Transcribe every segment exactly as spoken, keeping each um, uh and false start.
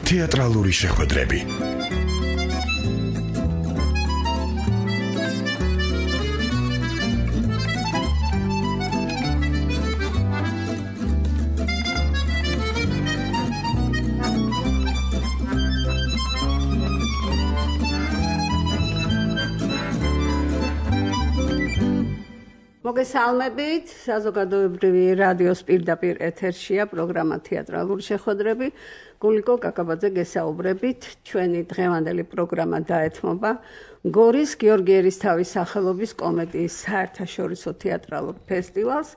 თეატრალური შეხვედრები. მოგესალმებით, საზოგადოებრივი რადიოს პირდაპირ ეთერშია პროგრამა თეატრალური შეხვედრები. გულიკო კაკაბაძე გესაუბრებით, ჩვენი დღევანდელი პროგრამა დაეთმობა გორის გიორგი ერისთავის სახელობის კომედიის საერთაშორისო თეატრალურ ფესტივალს,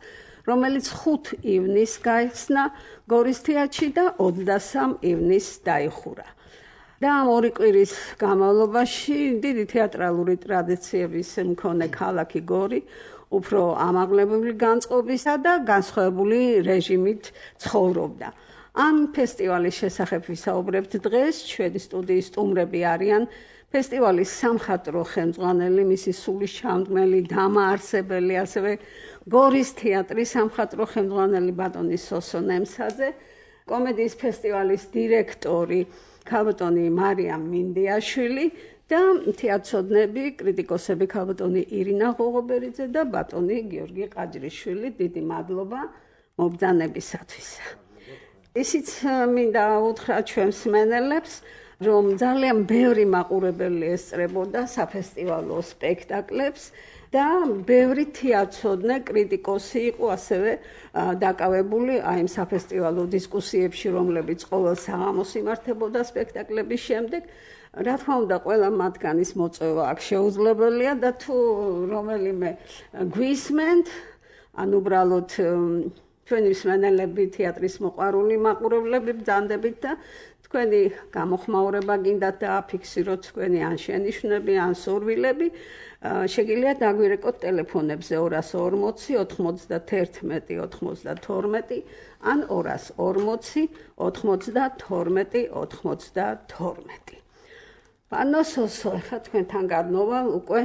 რომელიც ხუთი ივნისს გაიხსნა გორის თეატრში და ოცდასამი ივნისს დაიხურა. და ამ ორი კვირის განმავლობაში დიდი თეატრალური ტრადიციების მქონე ქალაქი გორი უფრო ამაღლებული განწყობისა და განსხვავებული რეჟიმით ცხოვრობდა. ამ ფესტივალის შესახებ ვისაუბრებთ დღეს. ჩვენი სტუდიის სტუმრები არიან ფესტივალის სამხატვრო ხელმძღვანელი, მისი სულისჩამდგმელი, დამაარსებელი, ასევე გორის თეატრის სამხატვრო ხელმძღვანელი ბატონი სოსო ნემსაძე, კომედიის ფესტივალის დირექტორი ქალბატონი მარიამ მინდიაშვილი და თეატრცოდნები, კრიტიკოსები ქალბატონი ირინა ღოღობერიძე და ბატონი გიორგი ყაჯრიშვილი. დიდი მადლობა მობრძანებისათვის. ისიც მინდა უთხრა ჩვენს მსმენელებს, რომ ძალიან ბევრი მაყურებელი ესწრებოდა საფესტივალო სპექტაკლებს და ბევრი თეატრცოდნე, კრიტიკოსი იყო ასევე დაკავებული აი იმ საფესტივალო დისკუსიებში, რომლებიც ყოველ საღამოს იმართებოდა სპექტაკლების შემდეგ. რა თქმა უნდა, ყველა მათგანის მოწვევა აქ შეუძლებელია და თუ რომელიმე გვისმენთ, ან უბრალოდ ჩვენი მსმენელები, თეატრის მოყვარული მაყურებლები ბრძანდებით და თქვენი გამოხმაურება გინდათ დააფიქსიროთ თქვენი ან შენიშვნები, ან სურვილები, შეგიძლიათ დაგვირეკოთ ტელეფონებზე ორას ორმოცი ოთხმოცდაერთმეტი ოთხმოცდათორმეტი ან ორას ორმოცი ოთხმოცდათორმეტი ოთხმოცდათორმეტი. Პანო სოსო, ახლა თქვენთან გადმოვალ, უკვე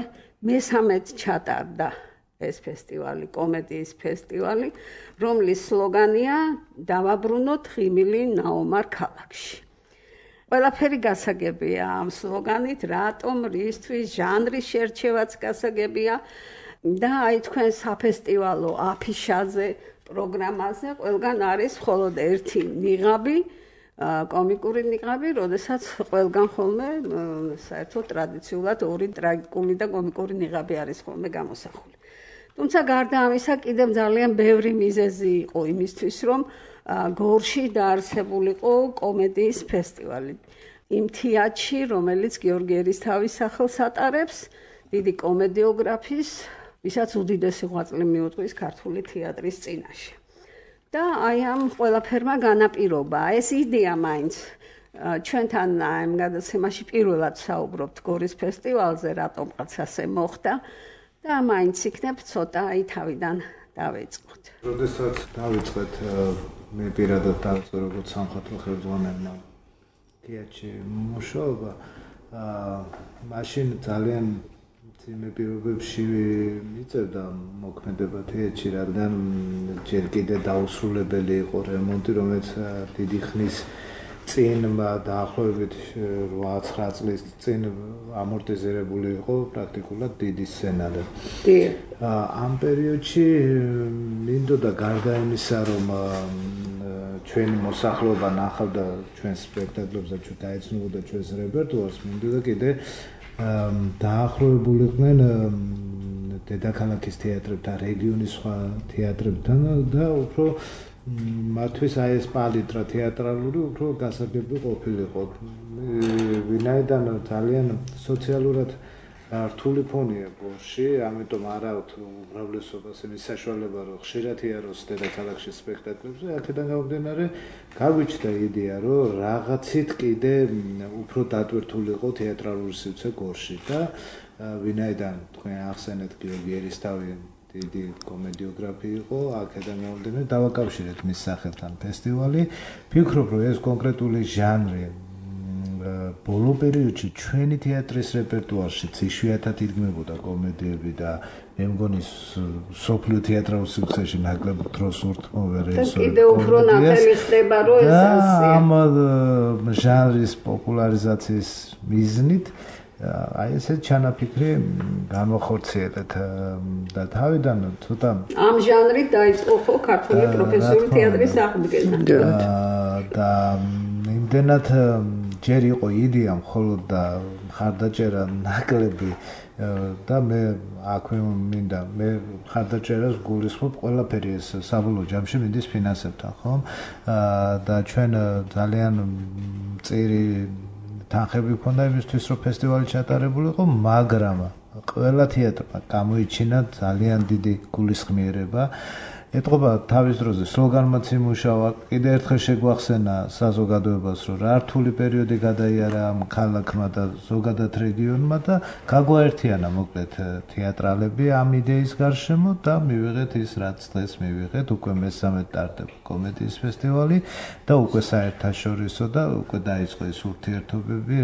მესამედ ჩატარდა ეს ფესტივალი, კომედიის ფესტივალი, რომლის სლოგანია დავაბრუნოთ ღიმილი ნაომარ ქალაქში. ყველაფერი გასაგებია ამ სლოგანით, რატომ, რისთვის, ჟანრის შერჩევაც გასაგებია და აი თქვენ საფესტივალო აფიშაზე, პროგრამაზე ყველგან არის მხოლოდ ერთი ნიღაბი, კომიკური ნიღაბი, როდესაც ყველგან ხოლმე საერთოდ ტრადიციულად ორი ტრაგიკული და კომიკური ნიღაბი არის ხოლმე გამოსახული. თუმცა გარდა ამისა კიდევ ძალიან ბევრი მიზეზი იყო იმისთვის, რომ გორში დაარსებულიყო კომედიის ფესტივალი. იმ თეატრში, რომელიც გიორგი ერისთავის სახელს ატარებს, დიდი კომედიოგრაფის, ვისაც უდიდესი ღვაწლი მიუძღვის ქართული თეატრის წინაშე. და აი ამ ყველაფერმა განაპირობა, ეს იდეა მაინც ჩვენთან ამ გადაცემაში პირველად საუბრობთ გორის ფესტივალზე, რატომღაც ასე მოხდა და მაინც იქნებ ცოტა აი თავიდან დავიწყოთ. როდესაც დავიწყეთ, მე პირადად დავიწყე როგორც სამხატვრო ხელმძღვანელმა თეატრში მუშაობა, მაშინ ძალიან ძიმე პირობებში მიწევდა მოქმედება თეატრში, რადგან ჯერ კიდევ დაუსრულებელი იყო რემონტი, რომელიც დიდი ხნის წინ დაახლოებით რვა-ცხრა წლის წინ ამორტიზირებული იყო პრაქტიკულად დიდი სცენარი. ამ პერიოდში მინდოდა გარდა იმისა, რომ ჩვენი მოსახლეობა ნახავდა ჩვენს სპექტაკლებს და ჩვენ დაეცნობოდა ჩვენს რეპერტუარს, მინდოდა კიდევ დაახლოებულიყვნენ დედაქალაქის თეატრებთან, რეგიონის სხვა თეატრებთან და უფრო მათთვის აი ეს პალიტრა თეატრალური უფრო გასაგები ყოფილიყო. ვინაიდან ძალიან სოციალურად რთული ფონია გორში, ამიტომ არა უმრავლესობას იმის საშუალება, რომ ხშირად იაროს დედაქალაქში სპექტაკლებზე, აქედან გამომდინარე, გაგვიჩნდა იდეა, რომ რაღაცით კიდე უფრო დატვირთულიყო თეატრალური სივრცე გორში და ვინაიდან თქვენ ახსენეთ გიორგი ერისთავი დიდი კომედიოგრაფი იყო, აქედან გამომდინარე დავაკავშირეთ მის სახელთან ფესტივალი. ვფიქრობ, რომ ეს კონკრეტული ჟანრი, ბოლო პერიოდში ჩვენი თეატრის რეპერტუარშიც იშვიათად იდგმებოდა კომედიები და მე მგონი სოფლიო თეატრალურ სივრცეში ნაკლებ დროს ურთმოვე რეჟისორი. კიდევ უფრო ნათელი ხდება რომ ეს ასე. ამ ჟანრის პოპულარიზაციის მიზნით აი ესე ჩანაფიქრი განვახორციელეთ და თავიდან ცოტა ამ ჟანრით დაიწყო ხო ქართული პროფესიული თეატრის აღდგენა. და იმდენად ჯერ იყო იდეა მხოლოდ და მხარდაჭერა ნაკლები და მე აქვე მინდა მე მხარდაჭერას გულისხმობ ყველაფერი ეს საბოლოო ჯამში მინდის ფინანსებთან ხო და ჩვენ ძალიან წირი თანხები ქონდა იმისთვის რომ ფესტივალი ჩატარებულიყო მაგრამ ყველა თეატრმა გამოიჩინა ძალიან დიდი გულისხმიერება ეთყობა თავის დროზე სლოგანმაც იმუშავა კიდე ერთხელ შეგვახსენა საზოგადოებას რომ რა რთული პერიოდი გადაიარა ამ ქალაქმა და ზოგადად რეგიონმა და გაგვაერთიანა მოკლედ თეატრალები ამ იდეის გარშემო და მივიღეთ ის რაც დღეს მივიღეთ უკვე მესამე ტარდება კომედიის ფესტივალი და უკვე საერთაშორისო და უკვე დაიწყო ის ურთიერთობები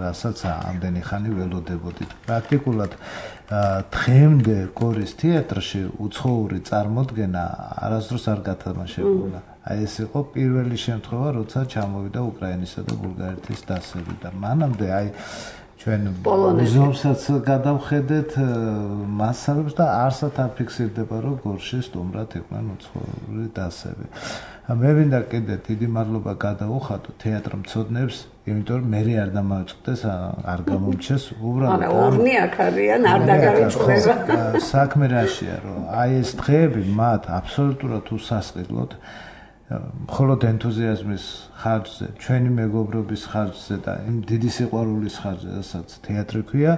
რასაც ამდენი ხანი ველოდებოდით პრაქტიკულად დღემდე გორის თეატრში უცხოური წარმოდგენა არასდროს არ გათამაშებულა. აი ეს იყო პირველი შემთხვევა, როცა ჩამოვიდა უკრაინისა და ბულგარეთის დასები და მანამდე აი ჩვენ მუზეუმსაც გადავხედეთ მასალებს და არსად არ ფიქსირდება რომ გორში სტუმრად იყვნენ უცხოური დასები. მე მინდა კიდე დიდი მადლობა გადაუხადო თეატრმცოდნებს იმიტომ რომ მე არ დამავიწყდეს არ გამომჩეს უბრალოდ არა ორნი აქ არიან არ დაგარიცხდება საქმე რაშია რომ აი ეს დღეები მათ აბსოლუტურად უსასყიდლოდ მხოლოდ ენთუზიაზმის ხარჯზე ჩვენი მეგობრობის ხარჯზე და იმ დიდი სიყვარულის ხარჯზე რასაც თეატრი ქვია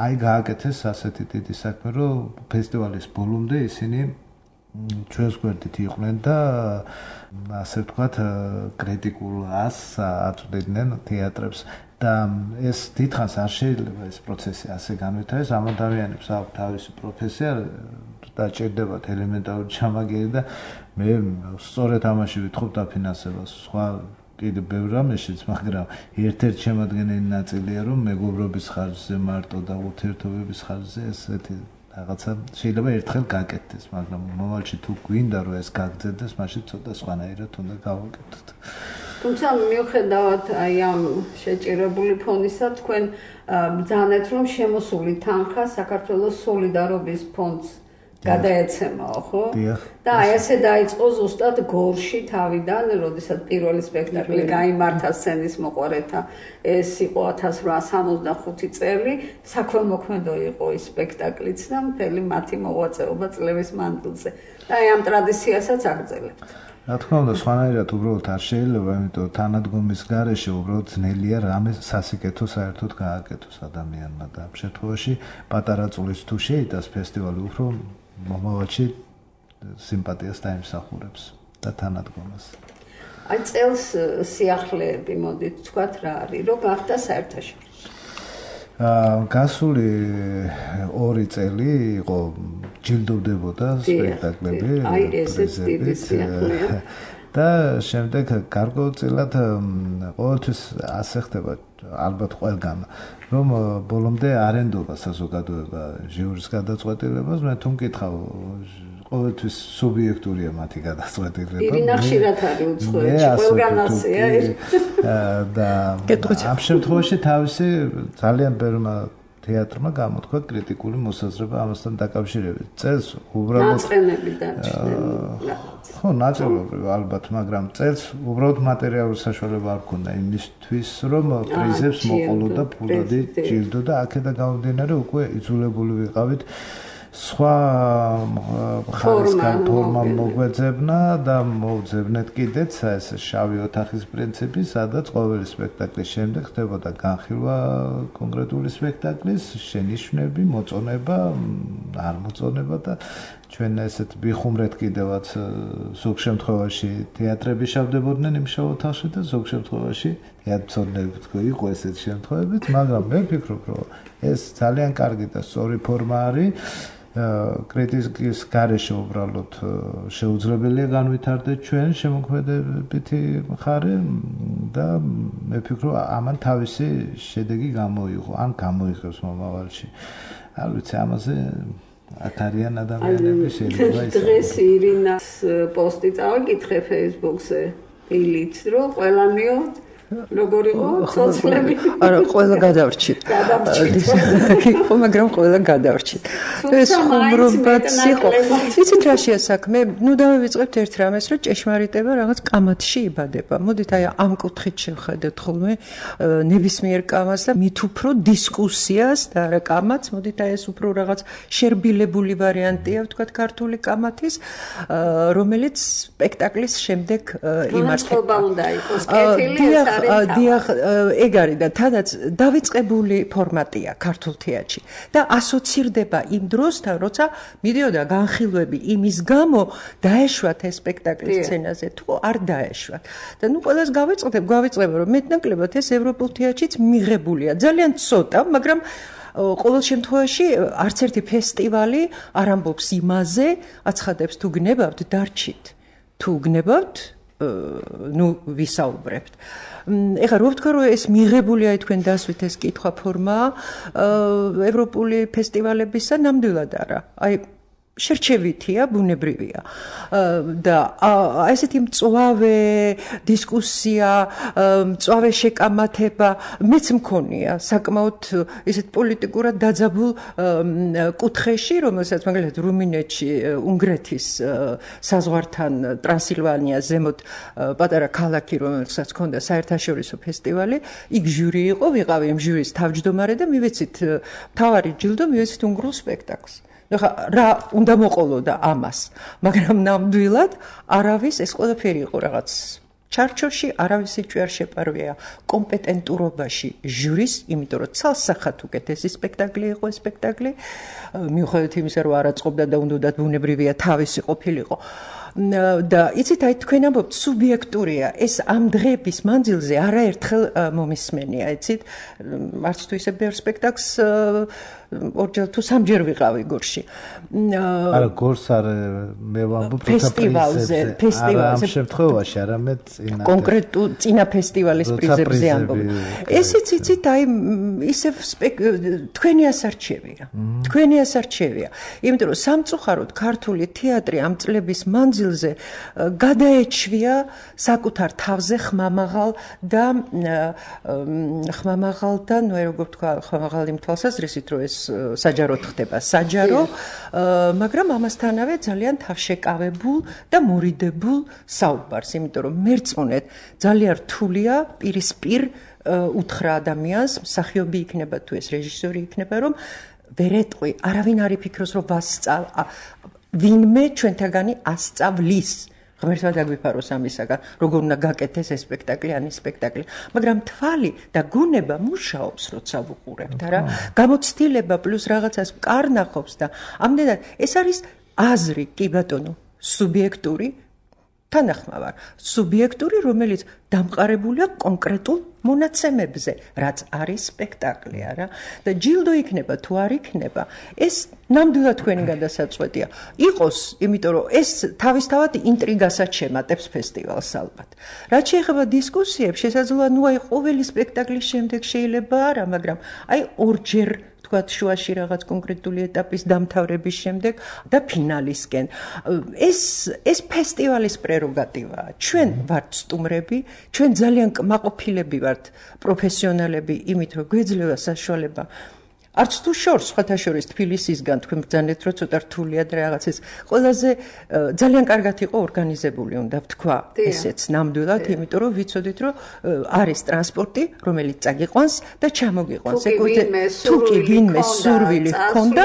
აი გააკეთეს ასეთი დიდი საქმე რომ ფესტივალის ბოლომდე ისინი ჩვენს გვერდით იყვნენ და ასე ვთქვათ კრიტიკულ ასს აწვდიდნენ თეატრებს და ეს დიდხანს არ შეიძლება ეს პროცესი ასე განვითარდეს ამ ადამიანებს აქვს თავისი პროფესია და ჭირდებათ ელემენტარული ჩამაგერი და მე სწორედ ამაში ვითხოვ დაფინანსებას სხვა კიდე ბევრ რამეშიც მაგრამ ერთ-ერთი შემადგენელი ნაწილია რომ მეგობრობის ხარჯზე მარტო და ურთიერთობების ხარჯზე ესეთი რაღაცა შეიძლება ერთხელ გაკეთდეს, მაგრამ მომავალში თუ გვინდა რომ ეს გაგრძელდეს, მაშინ ცოტა სხვანაირად უნდა გავაკეთოთ. თუმცა მიუხედავად აი ამ შეჭირებული ფონისა, თქვენ ბრძანეთ რომ შემოსული თანხა საქართველოს სოლიდარობის ფონდს გადაეცემაო, ხო? და აი ესე დაიწყო ზუსტად გორში თავიდან, როდესაც პირველი სპექტაკლი გაიმართა სცენის მოყვარეთა, ეს იყო ათას რვაასი სამოცდახუთი წელი, საქველმოქმედო იყო ის სპექტაკლიც და მთელი მათი მოღვაწეობა წლების მანძილზე. და აი ამ ტრადიციასაც აგრძელებთ. რა თქმა უნდა, სხვანაირად უბრალოდ არ შეიძლება, იმიტომ რომ თანადგომის გარეშე უბრალოდ ძნელია რამე სასიკეთო საერთოდ გააკეთოს ადამიანმა და ამ შემთხვევაში პატარა წulis თუ შეიტანს ფესტივალი უფრო მომავალში სიმპათიას დაიმსახურებს და თანადგომას. აი წელს სიახლეები მოდით თქვათ რა არის, რომ გახდა საერთაშორისო. აა გასული ორი წელი იყო ჯილდოვდებოდა სპექტაკლები. აი ესეც დიდი სიახლეა. და შემდეგ გარკვეულწილად ყოველთვის ასე ხდება ალბათ ყველგან რომ ბოლომდე არენდობა საზოგადოება ჟიურის გადაწყვეტილებას მე თუ მკითხავ ყოველთვის სუბიექტურია მათი გადაწყვეტილება ირინა ხშირად არის უცხოეთში ყველგან ასეა და ამ შემთხვევაში თავისი ძალიან ბევრმა თეატრმა გამოთქვა კრიტიკული მოსაზრება ამასთან დაკავშირებით. წელს უბრალოდ ნაწყენები დარჩნენ. ხო, ნაწილობრივ ალბათ, მაგრამ წელს უბრალოდ მატერიალური საშუალება არ ქონდა იმისთვის, რომ პრიზებს მოყოლოდა ფულადი ჯილდო და აქედან გამომდინარე უკვე იძულებული ვიყავით სხვა ხარისხიან ფორმამ მოგვეძებნა და მოვძებნეთ კიდეც ეს შავი ოთახის პრინციპი, სადაც ყოველი სპექტაკლის შემდეგ ხდებოდა განხილვა კონკრეტული სპექტაკლის, შენიშვნები, მოწონება, არ მოწონება და ჩვენ ესეთ ვიხუმრეთ კიდევაც ზოგ შემთხვევაში თეატრები შავდებოდნენ იმ შავ ოთახში და ზოგ შემთხვევაში თეატრები თქო იყო ესეთ შემთხვევებიც, მაგრამ მე ვფიქრობ, რომ ეს ძალიან კარგი და სწორი ფორმა არის კრიტიკის გარეშე უბრალოდ შეუძლებელია განვითარდეს ჩვენ შემოქმედებითი მხარე და მე ვფიქრობ ამან თავისი შედეგი გამოიღო, ან გამოიღებს მომავალში. არ ვიცი, ამაზე აქ არიან ადამიანები შეიძლება ის. დღეს ირინას პოსტი წავიკითხე Facebook-ზე, ილიც რომ ყველანიო როგორ იყო ცოცხლები? არა, ყველა გადავრჩით. იყო, მაგრამ ყველა გადავრჩით. ეს ხუმრობაც იყო. იცით რა შეასაქმე? ნუ დავივიწყებთ ერთ რამეს, რომ ჭეშმარიტება რაღაც კამათში იბადება. მოდით აი ამ კუთხით შევხედეთ ხოლმე ნებისმიერ კამათს და მით უფრო დისკუსიას და არა კამათს, მოდით აი ეს უფრო რაღაც შერბილებული ვარიანტია, ვთქვათ, ქართული კამათის, რომელიც სპექტაკლის შემდეგ იმართება. განწყობა უნდა იყოს, კეთილი დიახ, ეგ არის და თადაც დავიწყებული ფორმატია ქართულ თეატრში და ასოცირდება იმ დროსთან, როცა მიდიოდა განხილვები იმის გამო დაეშვათ ეს სპექტაკლის სცენაზე თუ არ დაეშვათ. და ნუ ყველას გავიწყდებ, გავიწყდება რომ მეტნაკლებად ეს ევროპულ თეატრშიც მიღებულია. ძალიან ცოტა, მაგრამ ყოველ შემთხვევაში არც ერთი ფესტივალი არ ამბობს იმაზე, აცხადებს თუ გნებავთ დარჩით. თუ გნებავთ ნუ ვისაუბრებთ. ეხლა რო ვთქვა რომ ეს მიღებულია თქვენ დასვით ეს კითხვა ფორმა ევროპული ფესტივალებისა ნამდვილად არა. აი შერჩევითია, ბუნებრივია. და ესეთი მწვავე დისკუსია, მწვავე შეკამათება მეც მქონია საკმაოდ ისეთ პოლიტიკურად დაძაბულ კუთხეში, რომელსაც მაგალითად რუმინეთში უნგრეთის საზღვართან ტრანსილვანიას ზემოთ პატარა ქალაქი, რომელსაც ჰქონდა საერთაშორისო ფესტივალი, იქ ჟური იყო, ვიყავი იმ ჟურის თავმჯდომარე და მივეცით მთავარი ჯილდო, მივეცით უნგრულ სპექტაკლს. ეხლა რა უნდა მოყოლოდა ამას, მაგრამ ნამდვილად არავის ეს ყველაფერი იყო რაღაც ჩარჩოში, არავისი ჭვი არ შეპარვია კომპეტენტურობაში ჟურის, იმიტომ რომ ცალსახად უკეთესი სპექტაკლი იყო ეს სპექტაკლი, მიუხედავად იმისა, რომ არ აწყობდა და უნდათ ბუნებრივია თავისი ყოფილიყო. და იცით, აი თქვენ ამბობთ სუბიექტურია, ეს ამ დღეების მანძილზე არაერთხელ მომისმენია, იცით, არც თუ ისე ბევრ სპექტაკლს ორჯერ თუ სამჯერ ვიყავი გორში. არა, გორს არ მე ვამბობ ფესტივალზე, ფესტივალზე. ამ შემთხვევაში არამედ წინა კონკრეტულ წინა ფესტივალის პრიზებზე ამბობ. ესეც იცით, აი ისევ თქვენი ასარჩევია. თქვენი ასარჩევია. იმიტომ რომ სამწუხაროდ ქართული თეატრი ამ წლების მანძილზე გადაეჩვია საკუთარ თავზე ხმამაღალ და ხმამაღალ და ნუ როგორ ვთქვა, ხმამაღალ იმ თვალსაზრისით, რომ ეს საჯაროდ ხდება საჯარო, მაგრამ ამასთანავე ძალიან თავშეკავებულ და მორიდებულ საუბარს, იმიტომ რომ მერწმუნეთ ძალიან რთულია პირისპირ უთხრა ადამიანს, მსახიობი იქნება თუ ეს რეჟისორი იქნება, რომ ვერ ეტყვი, არავინ არ იფიქროს, რომ ვასწავ ვინმე ჩვენთაგანი ასწავლის. ღმერთმა დაგვიფაროს ამისაგან, როგორ უნდა გაკეთდეს ეს სპექტაკლი, ან ის სპექტაკლი. მაგრამ თვალი და გონება მუშაობს, როცა ვუყურებთ, არა? გამოცდილება პლუს რაღაცას კარნახობს და ამდენად ეს არის აზრი, კი ბატონო, სუბიექტური თანახმავარ, სუბიექტური, რომელიც დამყარებულია კონკრეტულ მონაცემებზე, რაც არის სპექტაკლი, არა? და ჯილდო იქნება თუ არ იქნება, ეს ნამდვილად თქვენი გადასაწყვეტია. იყოს, იმიტომ რომ ეს თავისთავად ინტრიგასაც შემატებს ფესტივალს ალბათ. რაც შეეხება დისკუსიებს, შესაძლოა ნუ აი ყოველი სპექტაკლის შემდეგ შეიძლება არა, მაგრამ აი ორჯერ თქვათ შუაში რაღაც კონკრეტული ეტაპის დამთავრების შემდეგ და ფინალისკენ. ეს ეს ფესტივალის პრეროგატივაა. ჩვენ ვართ სტუმრები, ჩვენ ძალიან კმაყოფილები ვართ პროფესიონალები იმით, რომ გვეძლევა საშუალება არც თუ შორს, სხვათა შორის თბილისისგან თქვენ ბრძანეთ, რომ ცოტა რთულია და რაღაცის ყველაზე ძალიან კარგად იყო ორგანიზებული, უნდა ვთქვა, ესეც ნამდვილად, იმიტომ რომ ვიცოდით, რომ არის ტრანსპორტი, რომელიც წაგიყვანს და ჩამოგიყვანს. თუ კი ვინმე სურვილი ჰქონდა,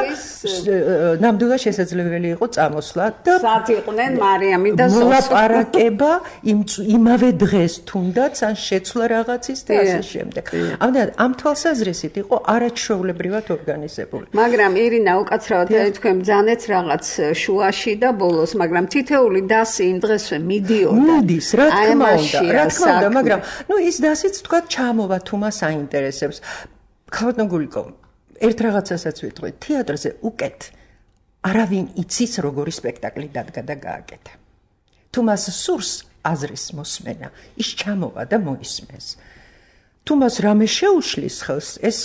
ნამდვილად შესაძლებელი იყო წამოსვლა და სად იყვნენ მარიამი და სოსო. მოლაპარაკება იმავე დღეს თუნდაც ან შეცვლა რაღაცის და ასე შემდეგ. ამდენად ამ თვალსაზრისით იყო არაჩვეულებრივად ორგანიზებული. მაგრამ ირინა უკაცრავად თქვენ ბძანეთ რაღაც შუაში და ბოლოს, მაგრამ თითეული დასი იმ დღესვე მიდიოდა. მიდის, რა თქმა უნდა, რა თქმა უნდა, მაგრამ ნუ ის დასიც თქვა ჩამოვა თუ მას აინტერესებს. ხავატონ გულიკო, ერთ რაღაცასაც ვიტყვი, თეატრზე უკეთ არავინ იცის როგორი სპექტაკლი დადგა და გააკეთა. თუ მას სურს აზრის მოსმენა, ის ჩამოვა და მოისმენს. თუ მას რამე შეუშლის ხელს, ეს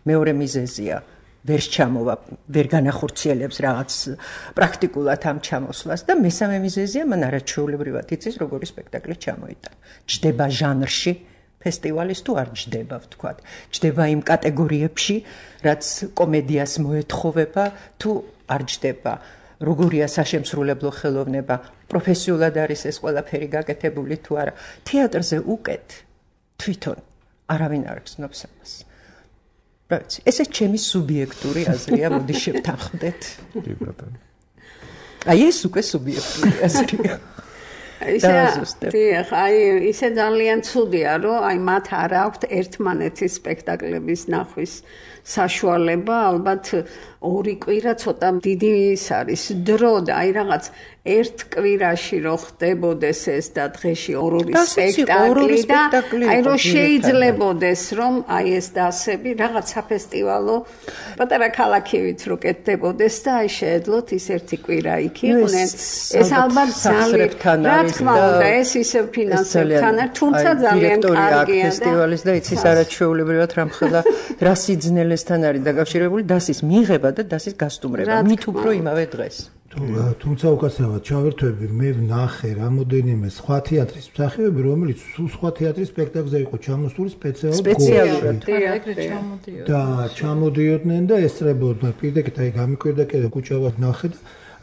მეორე მიზეზია. ვერ ჩამოვა, ვერ განახორციელებს რაღაც პრაქტიკულად ამ ჩამოსვლას და მესამე მიზეზია, მან არაჩვეულებრივად იცის როგორი სპექტაკლი ჩამოიტანა. ჯდება ჟანრში ფესტივალის თუ არ ჯდება, ვთქვათ. ჯდება იმ კატეგორიებში, რაც კომედიას მოეთხოვება, თუ არ ჯდება. როგორია საშემსრულებლო ხელოვნება, პროფესიულად არის ეს ყველაფერი გაკეთებული თუ არა. თეატრზე უკეთ თვითონ არავინ არ გზნობს ამას. ესე ჩემი სუბიექტური აზრია, მოდი შევთანხმდეთ. კი ბატონო. აი ეს უკვე სუბიექტური აზრია. ისე აი ისე ძალიან ცუდია, რომ აი მათ არ აქვთ ერთმანეთის სპექტაკლების ნახვის საშუალება, ალბათ ორი კვირა ცოტა დიდი ის არის დრო და აი რაღაც ერთ კვირაში რო ხდებოდეს ეს და დღეში ორ-ორი სპექტაკლი და აი რო შეიძლებოდეს რომ აი ეს დასები რაღაც საფესტივალო პატარა ქალაქივით რო კეთდებოდეს და აი შეეძლოთ ის ერთი კვირა იქ იყვნენ ეს ალბათ ძალიან რა თქმა უნდა ეს ისევ ფინანსებთან თუმცა ძალიან კარგია ფესტივალის და იცის არაჩვეულებრივად რამხელა რა სიძნელესთან არის დაკავშირებული დასის მიღება და დასის გასტუმრება მით უფრო იმავე დღეს თუმცა უკაცრავად ჩავერთვები მე ვნახე რამოდენიმე სხვა თეატრის მსახიობები რომელიც სულ სხვა თეატრის სპექტაკლზე იყო ჩამოსული სპეციალურად და ჩამოდიოდნენ და ესწრებოდნენ პირდაპირ აი გამიკვირდა კიდე კუჭავად ვნახე და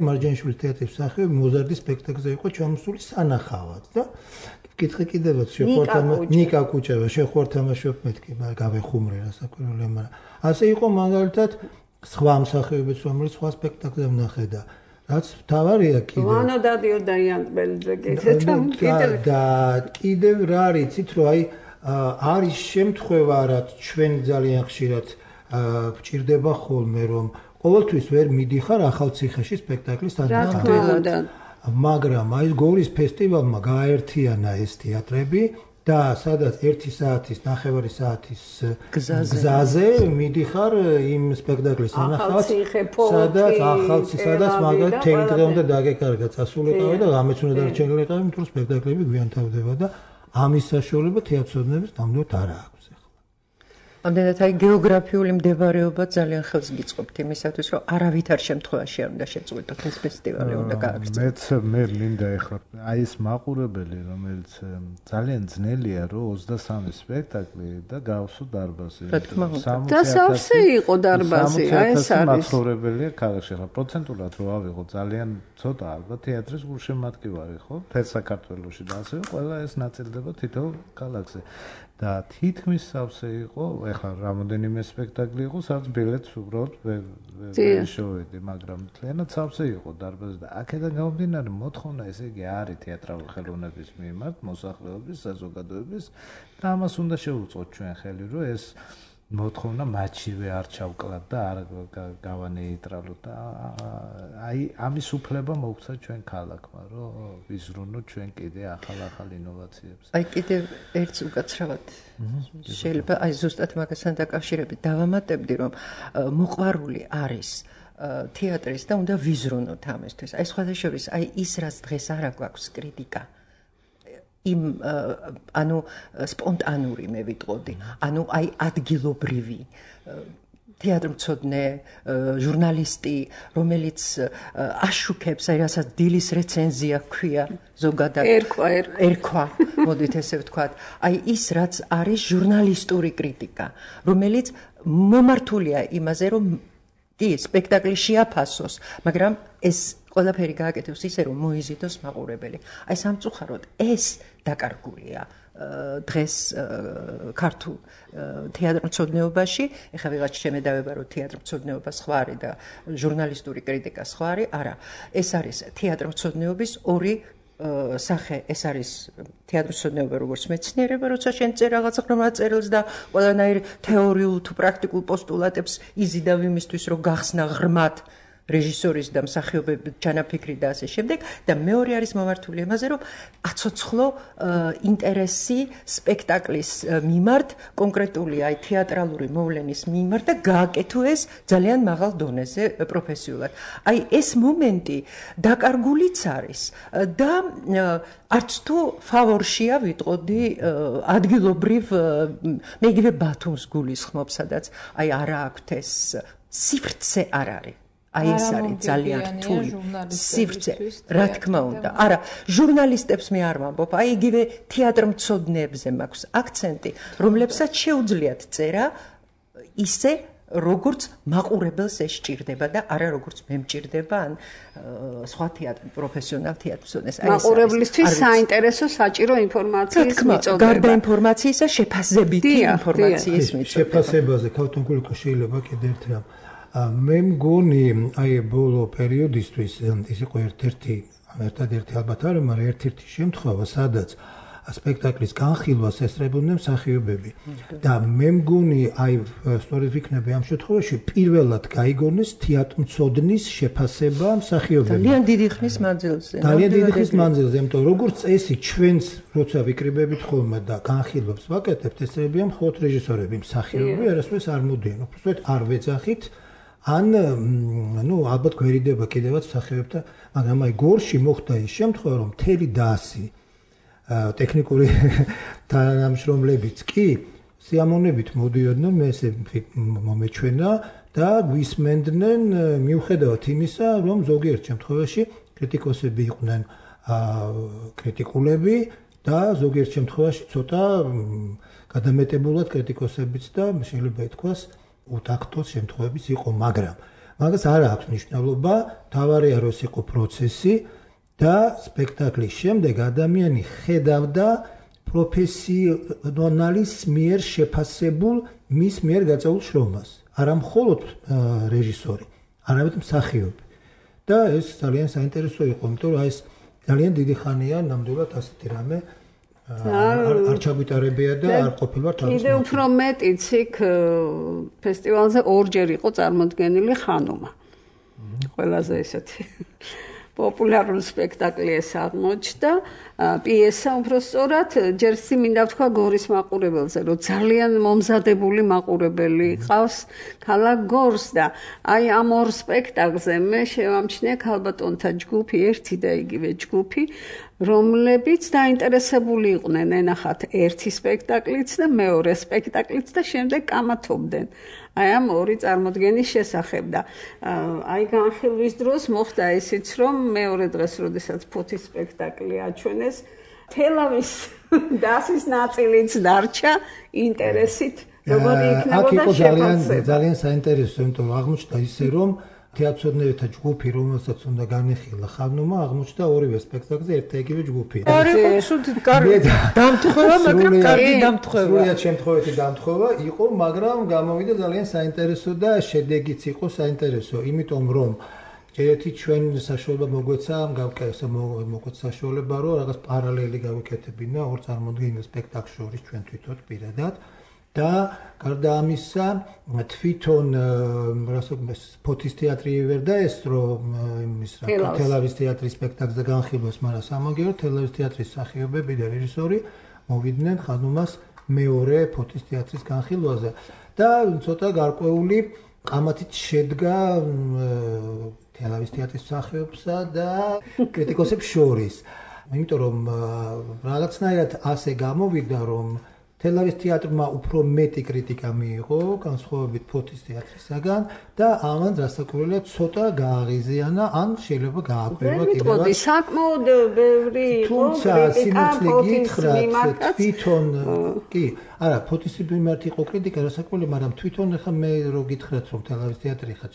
მარჯანიშვილის თეატრის მსახიობი მოზარდის სპექტაკლზე იყო ჩამოსული სანახავად და კითხე კიდევაც შეხვართ ნიკა კუჭავა შეხვართ თამაშობ მეთქი გავეხუმრე რასაკვირველია მაგრამ ასე იყო მაგალითად სხვა მსახიობიც რომელიც სხვა სპექტაკლზე ვნახე და რაც თავარია კიდე ვანო დადიოდა იანტბელძე კიდე და კიდევ რა არიცით რომ აი არის შემთხვევა რაც ჩვენ ძალიან ხშირად გვჭირდება ხოლმე რომ ყოველთვის ვერ მიდიხარ ახალციხეში სპექტაკლის თანხმობა მაგრამ აი გორის ფესტივალმა გააერთიანა ეს თეატრები და სადაც ერთი საათის ნახევარი საათის გზაზე მიდიხარ იმ სპექტაკლის ანახავს სადაც ახალციხე სადაც მაგალითად თელი დღე უნდა დაგეკარგა წასულიყავი და რამეც უნდა დარჩენილიყავი იმიტომ რომ სპექტაკლები გვიან თავდება და ამის საშუალება თეატროსნების ნამდვილად არ აქვს ამდენად აი გეოგრაფიული მდებარეობა ძალიან ხელს გიწყობთ იმისათვის რომ არავითარ შემთხვევაში არ უნდა შეწყვეტოთ ეს ფესტივალი უნდა გააგრძელოთ. მეც მე მინდა ეხლა აი ეს მაყურებელი რომელიც ძალიან ძნელია რომ ოცდასამი სპექტაკლი და გავსო დარბაზი. რა თქმა უნდა. და სავსე იყო დარბაზი, აი ეს არის. მაცხოვრებელია ქალაქში ხა პროცენტულად რო ავიღო ძალიან ცოტა ალბათ თეატრის გულშემატკივარი ხო? თელ საქართველოში და ასე ყველა ეს ნაწილდება თითოეულ ქალაქზე. და თითქმის სავსე იყო, ეხლა რამოდენიმე სპექტაკლი იყო, სადაც ბილეთს უბრალოდ ვერ შევედი, მაგრამ თლიანად სავსე იყო დარბაზი და აქედან გამომდინარე მოთხოვნა ესე იგი არის თეატრალური ხელოვნების მიმართ, მოსახლეობის, საზოგადოების და ამას უნდა შევუწყოთ ჩვენ ხელი, რომ ეს მოთხოვნა მათშივე არ ჩავკლათ და არ გავანეიტრალოთ და აი ამის უფლება მოგვცა ჩვენ ქალაქმა რომ ვიზრუნოთ ჩვენ კიდე ახალ-ახალ ინოვაციებს. აი კიდე ერთს უკაცრავად შეიძლება აი ზუსტად მაგასთან დაკავშირებით დავამატებდი რომ მოყვარული არის თეატრის და უნდა ვიზრუნოთ ამისთვის. აი სხვადასხვა აი ის რაც დღეს არ აქვს კრიტიკა იმ ანუ სპონტანური მე ვიტყოდი ანუ აი ადგილობრივი თეატრმცოდნე ჟურნალისტი რომელიც აშუქებს აი რასაც დილის რეცენზია ქვია ზოგადად ერქვა ერქვა მოდით ესე ვთქვათ აი ის რაც არის ჟურნალისტური კრიტიკა რომელიც მომართულია იმაზე რომ კი სპექტაკლი შეაფასოს მაგრამ ეს ყველაფერი გააკეთოს ისე რომ მოიზიდოს მაყურებელი. აი სამწუხაროდ ეს დაკარგულია დღეს ქართულ თეატრმცოდნეობაში, ეხლა ვიღაც შემედავება რომ თეატრმცოდნეობა სხვა არის და ჟურნალისტური კრიტიკა სხვა არის, არა, ეს არის თეატრმცოდნეობის ორი სახე, ეს არის თეატრმცოდნეობა როგორც მეცნიერება, როცა შენ წერ რაღაც ღრმა წერილს და ყველანაირ თეორიულ თუ პრაქტიკულ პოსტულატებს იზიდავ იმისთვის რომ გახსნა ღრმად რეჟისორის და მსახიობების ჩანაფიქრი და ასე შემდეგ და მეორე არის მომართული ამაზე რომ აცოცხლო ინტერესი სპექტაკლის მიმართ კონკრეტული აი თეატრალური მოვლენის მიმართ და გააკეთო ეს ძალიან მაღალ დონეზე პროფესიულად. აი ეს მომენტი დაკარგულიც არის და არც თუ ფავორშია ვიტყოდი ადგილობრივ მე იგივე ბათუმს გულისხმობ, სადაც აი არა აქვთ ეს სივრცე არ არის. აი ეს არის ძალიან რთული სივრცე, რა თქმა უნდა. არა, ჟურნალისტებს მე არ ვამბობ, აი იგივე თეატრმცოდნეებზე მაქვს აქცენტი, რომლებსაც შეუძლიათ წერა ისე როგორც მაყურებელს ეს სჭირდება და არა როგორც მე მჭირდება ან სხვა თეატრი პროფესიონალ თეატრმცოდნეს. მაყურებლისთვის საინტერესო საჭირო ინფორმაციის მიწოდება. გარდა ინფორმაციისა შეფასებითი ინფორმაციის მიწოდება. შეფასებაზე ქალბატონ გულიკო შეიძლება კიდე ერთ რამ. მე მგონი აი ბოლო პერიოდისთვის ის იყო ერთ-ერთი ერთადერთი ალბათ არა, მაგრამ ერთ-ერთი შემთხვევა, სადაც სპექტაკლის განხილვას ესწრებოდნენ მსახიობები და მე მგონი აი სწორედ ვიქნები ამ შემთხვევაში პირველად გაიგონეს თეატრმცოდნის შეფასება მსახიობებმა. ძალიან დიდი ხნის მანძილზე. ძალიან დიდი ხნის მანძილზე, იმიტომ როგორც წესი ჩვენს როცა ვიკრიბებით ხოლმე და განხილვებს ვაკეთებთ, ესწრებიან მხოლოდ რეჟისორები, მსახიობები არასდროს არ მოდიან. უბრალოდ არ ვეძახით ან ნუ ალბათ გვერიდება კიდევაც მსახიობებთან, მაგრამ აი გორში მოხდა ის შემთხვევა, რომ მთელი დასი ტექნიკური თანამშრომლებიც კი სიამოვნებით მოდიოდნენ, მე ესე მომეჩვენა და გვისმენდნენ მიუხედავად იმისა, რომ ზოგიერთ შემთხვევაში კრიტიკოსები იყვნენ კრიტიკულები და ზოგიერთ შემთხვევაში ცოტა გადამეტებულად კრიტიკოსებიც და შეიძლება ითქვას უტაქტოს შემთხვევებიც იყო, მაგრამ მაგას არ აქვს მნიშვნელობა, თავარია რომ ეს იყო პროცესი და სპექტაკლის შემდეგ ადამიანი ხედავდა პროფესიონალის მიერ შეფასებულ მის მიერ გაწეულ შრომას. არა მხოლოდ რეჟისორი, არამედ მსახიობი. და ეს ძალიან საინტერესო იყო, იმიტომ რომ ეს ძალიან დიდი ხანია ნამდვილად ასეთი რამე არ ჩაგვიტარებია და არ ყოფილა თავის. კიდევ უფრო მეტიც იქ ფესტივალზე ორჯერ იყო წარმოდგენილი ხანუმა. ყველაზე ესეთი პოპულარული სპექტაკლი ეს აღმოჩნდა, პიესა უფრო სწორად, ჯერ მინდა ვთქვა გორის მაყურებელზე, რომ ძალიან მომზადებული მაყურებელი ყავს ქალაქ გორს და აი ამ ორ სპექტაკლზე მე შევამჩნია ქალბატონთა ჯგუფი, ერთი და იგივე ჯგუფი, რომლებიც დაინტერესებული იყვნენ ენახათ ერთი სპექტაკლიც და მეორე სპექტაკლიც და შემდეგ კამათობდნენ. აი ამ ორი წარმოდგენის შესახებ და აი განხილვის დროს მოხდა ისიც, რომ მეორე დღეს, როდესაც ფოთის სპექტაკლი აჩვენეს, თელავის დასის ნაწილიც დარჩა ინტერესით, როგორი იქნებოდა შეფასება. ძალიან საინტერესო, იმიტომ რომ აღმოჩნდა ისე, რომ თეატრმცოდნეთა ჯგუფი, რომელსაც უნდა განიხილა ხანუმა, აღმოჩნდა ორივე სპექტაკლზე ერთ და იგივე ჯგუფი. არა, სულ კარგი დამთხოვა, მაგრამ კარგი დამთხოვა. სულიად შემთხვევითი დამთხოვა იყო, მაგრამ გამოვიდა ძალიან საინტერესო და შედეგიც იყო საინტერესო, იმიტომ რომ ერთი ჩვენ საშუალება მოგვეცა, გავკეთე მოგვეცა საშუალება, რომ რაღაც პარალელი გავიკეთებინა ორ წარმოდგენილ სპექტაკლს შორის ჩვენ თვითონ პირადად. და გარდა ამისა თვითონ რასაც ფოთის თეატრი ვერ დაესწრო იმის რა თელავის თეატრის სპექტაკლზე განხილვას, მაგრამ სამაგერო თელავის თეატრის მსახიობები და რეჟისორი მოვიდნენ ხანუმას მეორე ფოთის თეატრის განხილვაზე და ცოტა გარკვეული ყამათით შედგა თელავის თეატრის მსახიობსა და კრიტიკოსებს შორის. იმიტომ რომ რაღაცნაირად ასე გამოვიდა, რომ თელავის თეატრმა უფრო მეტი კრიტიკა მიიღო, განსხვავებით ფოთის თეატრისაგან და ამან დასაკვირველად ცოტა გააღიზიანა, ან შეიძლება გააკვირვა კიდევაც. საკმაოდ ბევრი იყო კრიტიკა ფოთის მიმართ. თვითონ კი, არა, ფოთის მიმართ იყო კრიტიკა, დასაკვირველი, მაგრამ თვითონ ახლა მე რო გითხრათ, რომ თელავის თეატრი ხა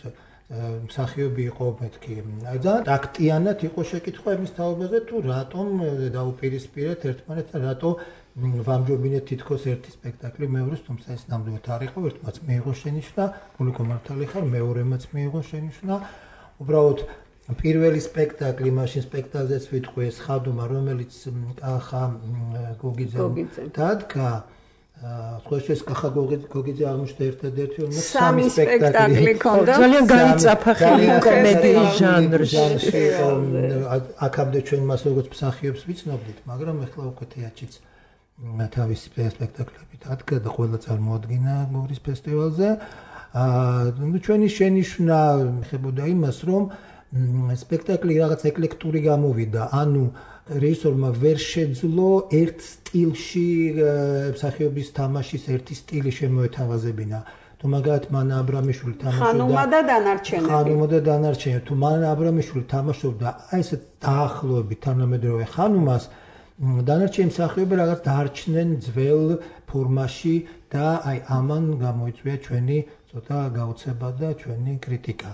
მსახიობი იყო მეთქი. და ტაქტიანად იყო შეკითხვა იმის თაობაზე, თუ რატომ დაუპირისპირეთ ერთმანეთთან, რატო ვამჯობინეთ თითქოს ერთი სპექტაკლი მეორეს, თუმცა ეს ნამდვილად არ იყო, ერთმანეთს მიიღო შენიშვნა, გულიკო მართალი ხარ, მეორემაც მიიღო შენიშვნა. უბრალოდ პირველი სპექტაკლი, მაშინ სპექტაკლზეც ვიტყვი ეს ხადუმა, რომელიც კახა გოგიძემ დადგა, სხვაშეს კახა გოგიძე აღმოჩნდა ერთადერთი რომ სამი სპექტაკლი ქონდა ძალიან გაიწაფა ხელი კომედიის ჟანრში აქამდე ჩვენ მას როგორც მსახიობს ვიცნობდით მაგრამ ეხლა უკვე თეატრიც თავისი სპექტაკლებით ადგა და ყველა წარმოადგინა გორის ფესტივალზე აა ჩვენი შენიშვნა ხებოდა იმას რომ სპექტაკლი რაღაც ეკლექტური გამოვიდა ანუ რეჟისორმა ვერ შეძლო ერთ სტილში მსახიობის თამაშის ერთი სტილი შემოეთავაზებინა. თუ მაგათ მან აბრამიშვილი თამაშობდა ხანუმა და დანარჩენები. ხანუმა და დანარჩენები. თუ მან აბრამიშვილი თამაშობდა აი ესე დაახლოებით თანამედროვე ხანუმას დანარჩენი მსახიობები რაღაც დაარჩნენ ძველ ფორმაში და აი ამან გამოიწვია ჩვენი ცოტა გაოცება და ჩვენი კრიტიკა.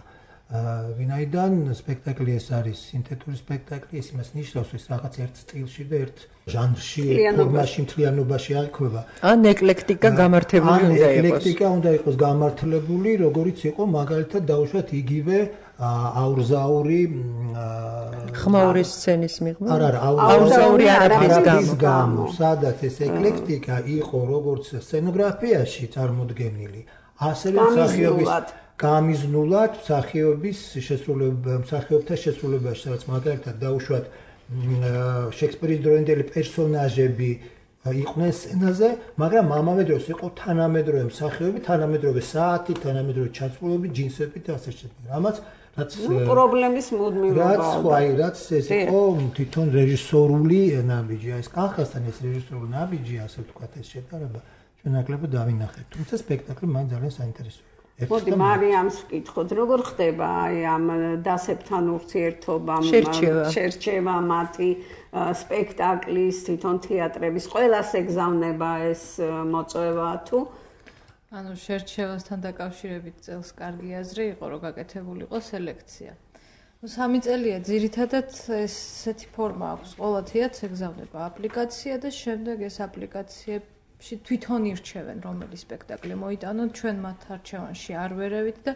ვინაიდან სპექტაკლი ეს არის სინთეტური სპექტაკლი, ეს იმას ნიშნავს, ის რაღაც ერთ სტილში და ერთ ჟანრში, ფორმაში, მთლიანობაში აღიქვება. ან ეკლექტიკა გამართებული უნდა იყოს. ეკლექტიკა უნდა იყოს გამართლებული, როგორიც იყო მაგალითად დაუშვათ იგივე აურზაური ხმაურის სცენის მიღმა. არა, არა, აურზაური არაფრის გამო, სადაც ეს ეკლექტიკა იყო როგორც სცენოგრაფიაში წარმოდგენილი, ასევე მსახიობის გამიზნულად მსახიობის შესრულება მსახიობთა შესრულებაში, სადაც მაგალითად დაუშვათ შექსპირის დროინდელი პერსონაჟები იყვნენ სცენაზე, მაგრამ ამავე დროს იყო თანამედროვე მსახიობი, თანამედროვე საათი, თანამედროვე ჩაცმულობი, ჯინსები და ასე შემდეგ. რამაც რაც პრობლემის მუდმივობა. რაც ხوای, რაც ეს იყო თვითონ რეჟისორული ნაბიჯი, ეს კახასთან ეს რეჟისორული ნაბიჯი, ასე ვთქვათ, ეს შეტარება ჩვენ ნაკლებად დავინახეთ. თუმცა სპექტაკლი მან ძალიან საინტერესოა. მოდი მარიამს ვკითხოთ, როგორ ხდება აი ამ დასებთან ურთიერთობამ, შერჩევა მათი სპექტაკლის, თვითონ თეატრების, ყველას ეგზავნება ეს მოწვევა თუ? ანუ შერჩევასთან დაკავშირებით წელს კარგი აზრი იყო, რომ გაკეთებულიყო სელექცია. ნუ სამი წელია ძირითადად ესეთი ფორმა აქვს, ყველა თეატრს ეგზავნება აპლიკაცია და შემდეგ ეს აპლიკაციები თვითონ ირჩევენ რომელი სპექტაკლი მოიტანონ ჩვენ მათ არჩევანში არ ვერევით და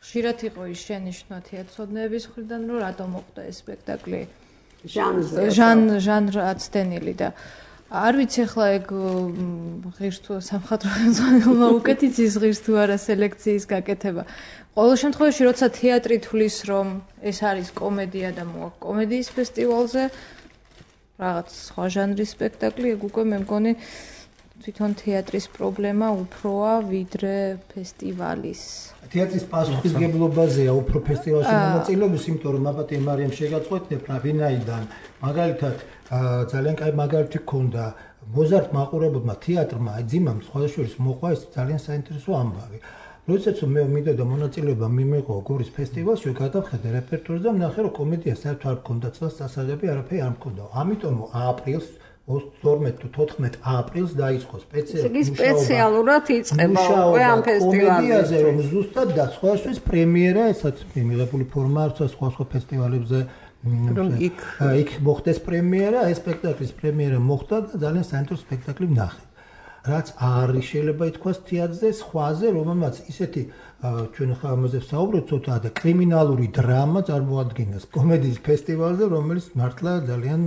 ხშირად იყო ის შენიშვნა თეატროდნების მხრიდან რომ რატომ მოხდა ეს სპექტაკლი ჟან ჟანრაცდენილი და არ ვიცი ახლა ეგ ღირს თუ სამხატვრო ხელმძღვანელმა უკეთ იცის ღირს თუ არა სელექციის გაკეთება ყოველ შემთხვევაში როცა თეატრი თulis რომ ეს არის კომედია და მოაქვს კომედიის ფესტივალზე რაღაც სხვა ჟანრის სპექტაკლი ეგ უკვე მე მგონი თვითონ თეატრის პრობლემა უფროა ვიდრე ფესტივალის. თეატრის პასუხისმგებლობაზეა უფრო ფესტივალში მონაწილეობის, იმიტომ რომ აბატე მარიამ შეგაწყვეტნებ რა ვინაიდან. მაგალითად, ძალიან კაი მაგალითი გქონდა მოზარდ მაყურებელმა თეატრმა, აი ძიმამ სხვადასხვა მოყვა ეს ძალიან საინტერესო ამბავი. როდესაც მე მინდოდა მონაწილეობა მიმეღო გორის ფესტივალში, გადავხედე რეპერტუარზე და ვნახე რომ კომედია საერთოდ არ მქონდა წელს დასაღები, არაფერი არ მქონდა. ამიტომ აპრილს ოცდაორ თუ თოთხმეტ აპრილს დაიწყო სპეციალური სპეციალურად იწყება უკვე ამ ფესტივალზე რომ ზუსტად და სხვადასხვა პრემიერა ესაც მიღებული ფორმა აქვს სხვა სხვა ფესტივალებზე რომ იქ იქ მოხდეს პრემიერა ეს სპექტაკლის პრემიერა მოხდა და ძალიან საინტერესო სპექტაკლი ვნახე რაც არის შეიძლება ითქვას თეატრზე სხვაზე რომელმაც ისეთი ჩვენ ხა ამაზე ვსაუბრობთ ცოტა და კრიმინალური დრამა წარმოადგენს კომედიის ფესტივალზე რომელიც მართლა ძალიან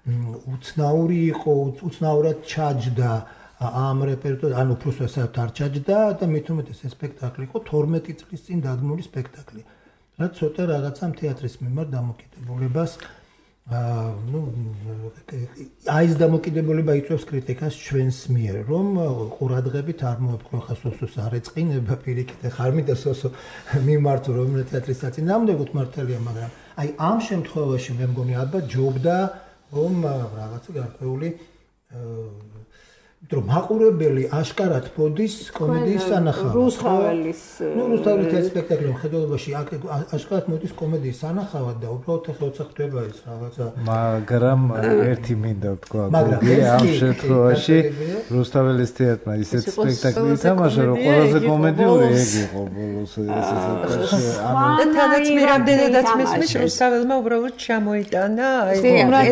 უცნაური იყო, უცნაურად ჩაჯდა ამ რეპერტუარს, ანუ უბრალოდ საერთოდ არ ჩაჯდა და მით უმეტეს ეს სპექტაკლი იყო თორმეტი წლის წინ დადგმული სპექტაკლი. რაც ცოტა რაღაცამ თეატრის მიმართ დამოკიდებულებას აა ნუ აი ეს დამოკიდებულება იწვევს კრიტიკას ჩვენს მიერ, რომ ყურადღებით არ მოეპყრო ხა სოსოს არ ეწყინება პირიქით, ხა არ მინდა სოსო მიმართო რომ თეატრის საწინააღმდეგოდ მართალია, მაგრამ აი ამ შემთხვევაში მე მგონი ალბათ ჯობდა რომ რაღაცა გარკვეული რომ მაყურებელი აშკარად მოდის კომედიის სანახავად. რუსთაველის ნუ რუსთაველის სპექტაკლი მხედველობაში აშკარად მოდის კომედიის სანახავად და უბრალოდ ახლა როცა ხდება ეს რაღაცა მაგრამ ერთი მინდა ვთქვა გოგია ამ შემთხვევაში რუსთაველის თეატრმა ისეთ სპექტაკლი ითამაშა რომ ყველაზე კომედიური ეგ იყო ბოლოს ეს ეს ანუ თანაც მე რამდენადაც მესმის რუსთაველმა უბრალოდ ჩამოიტანა აი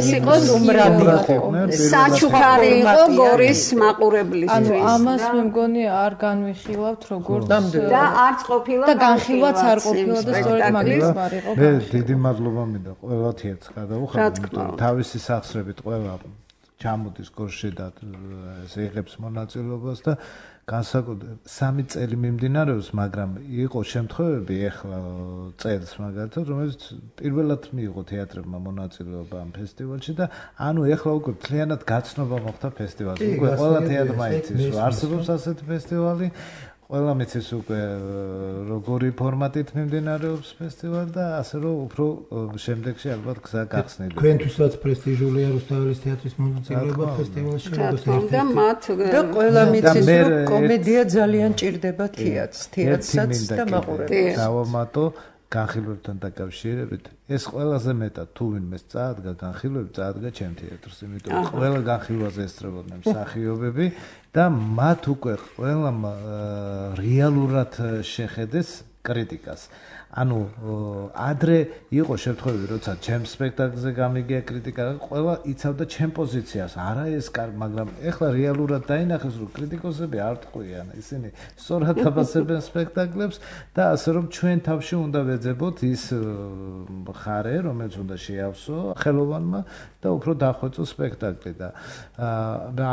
ეს იყო უმრავლე საჩუქარი იყო გორის მაყურებლისთვის. ანუ ამას მე მგონი არ განვიხილავთ როგორც და არც ყოფილა და განხილვაც არ ყოფილა და სწორედ მაგის არ იყო. მე დიდი მადლობა მინდა ყველა თეატრს გადავუხადო, თავისი სახსრებით ყველა ჩამოდის გორში და ესე იღებს მონაწილეობას და განსაკუთრებით სამი წელი მიმდინარეობს, მაგრამ იყო შემთხვევები ახლა წელს მაგალითად, რომელიც პირველად მიიღო თეატრებმა მონაწილეობა ამ ფესტივალში და ანუ ახლა უკვე მთლიანად გაცნობა მოხდა ფესტივალზე. უკვე ყველა თეატრმა იცის, რომ არსებობს ასეთი ფესტივალი. ყველა მიცის უკვე როგორი ფორმატით მიმდინარეობს ფესტივალი და ასე რომ უფრო შემდეგში ალბათ გზა გახსნილი. თქვენთვისაც პრესტიჟულია რუსთაველის თეატრის მონაწილეობა ფესტივალში, როგორც და მათ და ყველა მიცის რომ კომედია ძალიან ჭირდება თეატრს, თეატრსაც და მაყურებელს. დავამატო განხილვებთან დაკავშირებით ეს ყველაზე მეტად თუ ვინმე წაადგა განხილვები წაადგა ჩემ თეატრს, იმიტომ რომ ყველა განხილვაზე ესწრებოდნენ მსახიობები და მათ უკვე ყველამ რეალურად შეხედეს კრიტიკას. ანუ ადრე იყო შემთხვევები, როცა ჩემ სპექტაკლზე გამიგია კრიტიკა, ყველა იცავდა ჩემ პოზიციას, არა ეს კარ, მაგრამ ეხლა რეალურად დაინახეს, რომ კრიტიკოსები არ ტყვიან, ისინი სწორად აფასებენ სპექტაკლებს და ასე რომ ჩვენ თავში უნდა ვეძებოთ ის მხარე, რომელიც უნდა შეავსო ხელოვანმა და უფრო დახვეწო სპექტაკლი და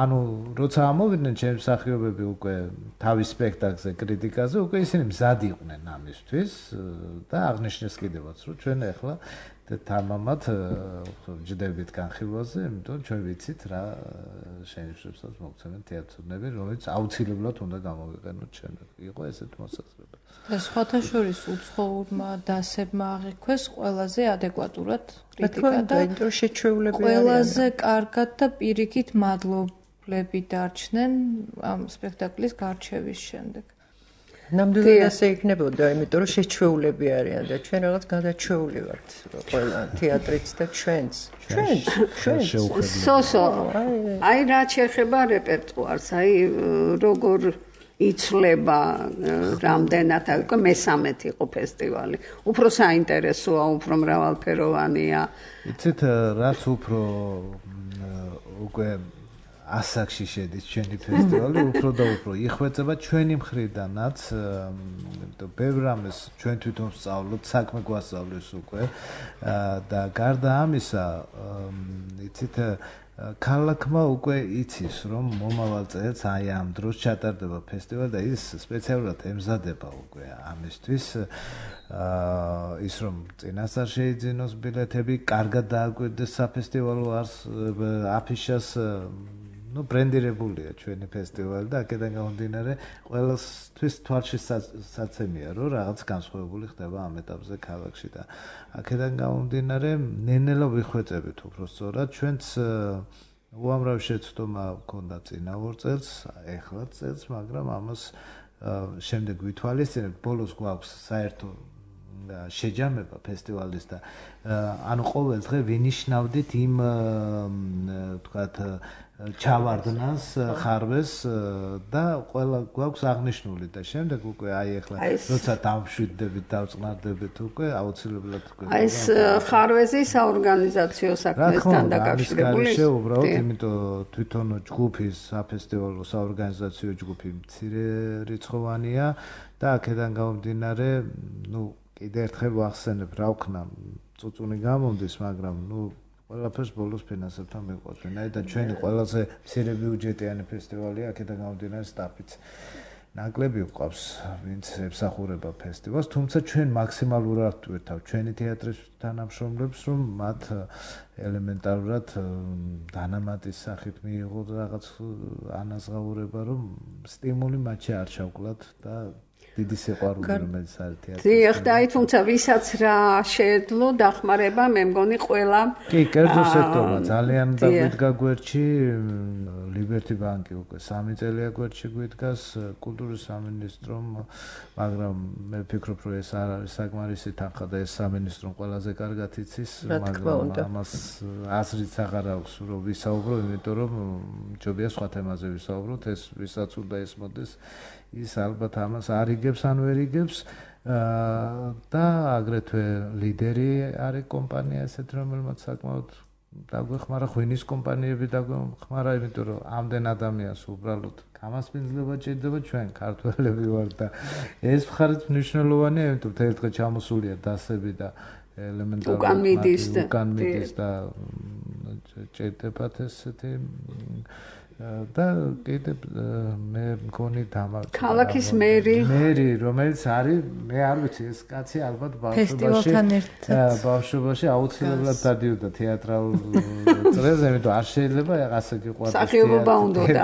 ანუ როცა ამოვიდნენ ჩემ მსახიობები უკვე თავის სპექტაკლზე კრიტიკაზე, უკვე ისინი მზად იყვნენ ამისთვის და აღნიშნეს კიდევაც რომ ჩვენ ახლა თამამად ვჯდებით განხილვაზე, იმიტომ რომ ჩვენ ვიცით რა შენიშვნებსაც მოგცემენ თეატრნები, რომელიც აუცილებლად უნდა გამოვიყენოთ ჩვენ. იყო ესეთ მოსაზრება. და სხვათა შორის უცხოურმა დასებმა აღიქვეს ყველაზე ადეკვატურად კრიტიკა და შეჩვეულები ყველაზე კარგად და პირიქით მადლობლები დარჩნენ ამ სპექტაკლის გარჩევის შემდეგ. ნამდვილად ასე იქნებოდა, იმიტომ რომ შეჩვეულები არიან და ჩვენ რაღაც გადაჩვეული ვართ ყველა თეატრიც და ჩვენც. ჩვენც, ჩვენც. სოსო, აი რა შეეხება რეპერტუარს, აი როგორ იცვლება რამდენად, აი უკვე მესამეთი იყო ფესტივალი. უფრო საინტერესოა, უფრო მრავალფეროვანია. იცით, რაც უფრო უკვე ასაკში შედის ჩვენი ფესტივალი, უფრო და უფრო იხვეწება ჩვენი მხრიდანაც, იმიტომ ბევრ რამეს ჩვენ თვითონ ვსწავლობთ, საქმე გვასწავლეს უკვე და გარდა ამისა, იცით, ქალაქმა უკვე იცის, რომ მომავალ წელს აი ამ დროს ჩატარდება ფესტივალი და ის სპეციალურად ემზადება უკვე ამისთვის. ის რომ წინასწარ შეიძინოს ბილეთები, კარგად დააკვირდეს საფესტივალო აფიშას, ну ბრენდირებულია ჩვენი ფესტივალი და აქედან გამომდინარე ყველასთვის თვალში საცემია რომ რაღაც განსხვავებული ხდება ამ ეტაპზე ქალაქში და აქედან გამომდინარე ნენელა ვიხვეწებით უფრო სწორად ჩვენც უამრავი შეცდომა ჰქონდა წინა ორ წელს ეხლა წელს მაგრამ ამას შემდეგ ვითვალისწინებთ ბოლოს გვაქვს საერთო შეჯამება ფესტივალის და ანუ ყოველ დღე ვინიშნავდით იმ თქვათ ჩავარდნას ხარვეს და ყველა გვაქვს აღნიშნული და შემდეგ უკვე აი ახლა როცა დავშვიდდებით დავწყნარდებით უკვე აუცილებლად უკვე აი ეს ხარვეზი საორგანიზაციო საქმესთან დაკავშირებული ის უბრალოდ იმიტომ თვითონ ჯგუფის საფესტივალო საორგანიზაციო ჯგუფი მცირე რიცხოვანია და აქედან გამომდინარე ნუ კიდე ერთხელ ვახსენებ რა ვქნა წუწუნი გამომდის მაგრამ ნუ ყველაფერს ბოლოს ფინანსებთან მიყვავს ვინაიდან და ჩვენი ყველაზე მცირე ბიუჯეტიანი ფესტივალია აქედან გამომდინარე სტაფიც ნაკლები ვყავს ვინც ემსახურება ფესტივალს თუმცა ჩვენ მაქსიმალურად ვერთავთ ჩვენი თეატრის თანამშრომლებს რომ მათ ელემენტარულად დანამატის სახით მიიღოთ რაღაც ანაზღაურება რომ სტიმული მათში არ ჩავკლათ და დიდი სიყვარული რომელიც არის თეატრში. დიახ, და აი თუმცა ვისაც რა შეეძლო დახმარება, მე მგონი ყველა კი, კერძო სექტორმა ძალიან დაგვიდგა გვერდში, ლიბერტი ბანკი უკვე სამი წელია გვერდში გვიდგას, კულტურის სამინისტრომ, მაგრამ მე ვფიქრობ, რომ ეს არ არის საკმარისი თანხა და ეს სამინისტრომ ყველაზე კარგად იცის, მაგრამ ამას აზრიც აღარ აქვს, რომ ვისაუბრო, იმიტომ რომ ჯობია სხვა თემაზე ვისაუბროთ, ეს ვისაც უნდა ესმოდეს ის ალბათ ამას არ იგებს ან ვერ იგებს და აგრეთვე ლიდერი არის კომპანია ესეთ რომელმაც საკმაოდ დაგვეხმარა ღვინის კომპანიები დაგვეხმარა იმიტომ რომ ამდენ ადამიანს უბრალოდ გამასპინძლება ჭირდება ჩვენ ქართველები ვარ და ეს მხარიც მნიშვნელოვანია იმიტომ რომ ერთხელ ჩამოსულია დასები და ელემენტარული უკან მიდის და უკან მიდის და ჭირდებათ ესეთი და კიდე მე მგონი დამა ქალაქის მერი მერი რომელიც არის მე არ ვიცი ეს კაცი ალბათ ბავშვობაში ბავშვობაში აუცილებლად დადიოდა თეატრალურ წრეზე იმიტომ არ შეიძლება ასე გიყვარდეს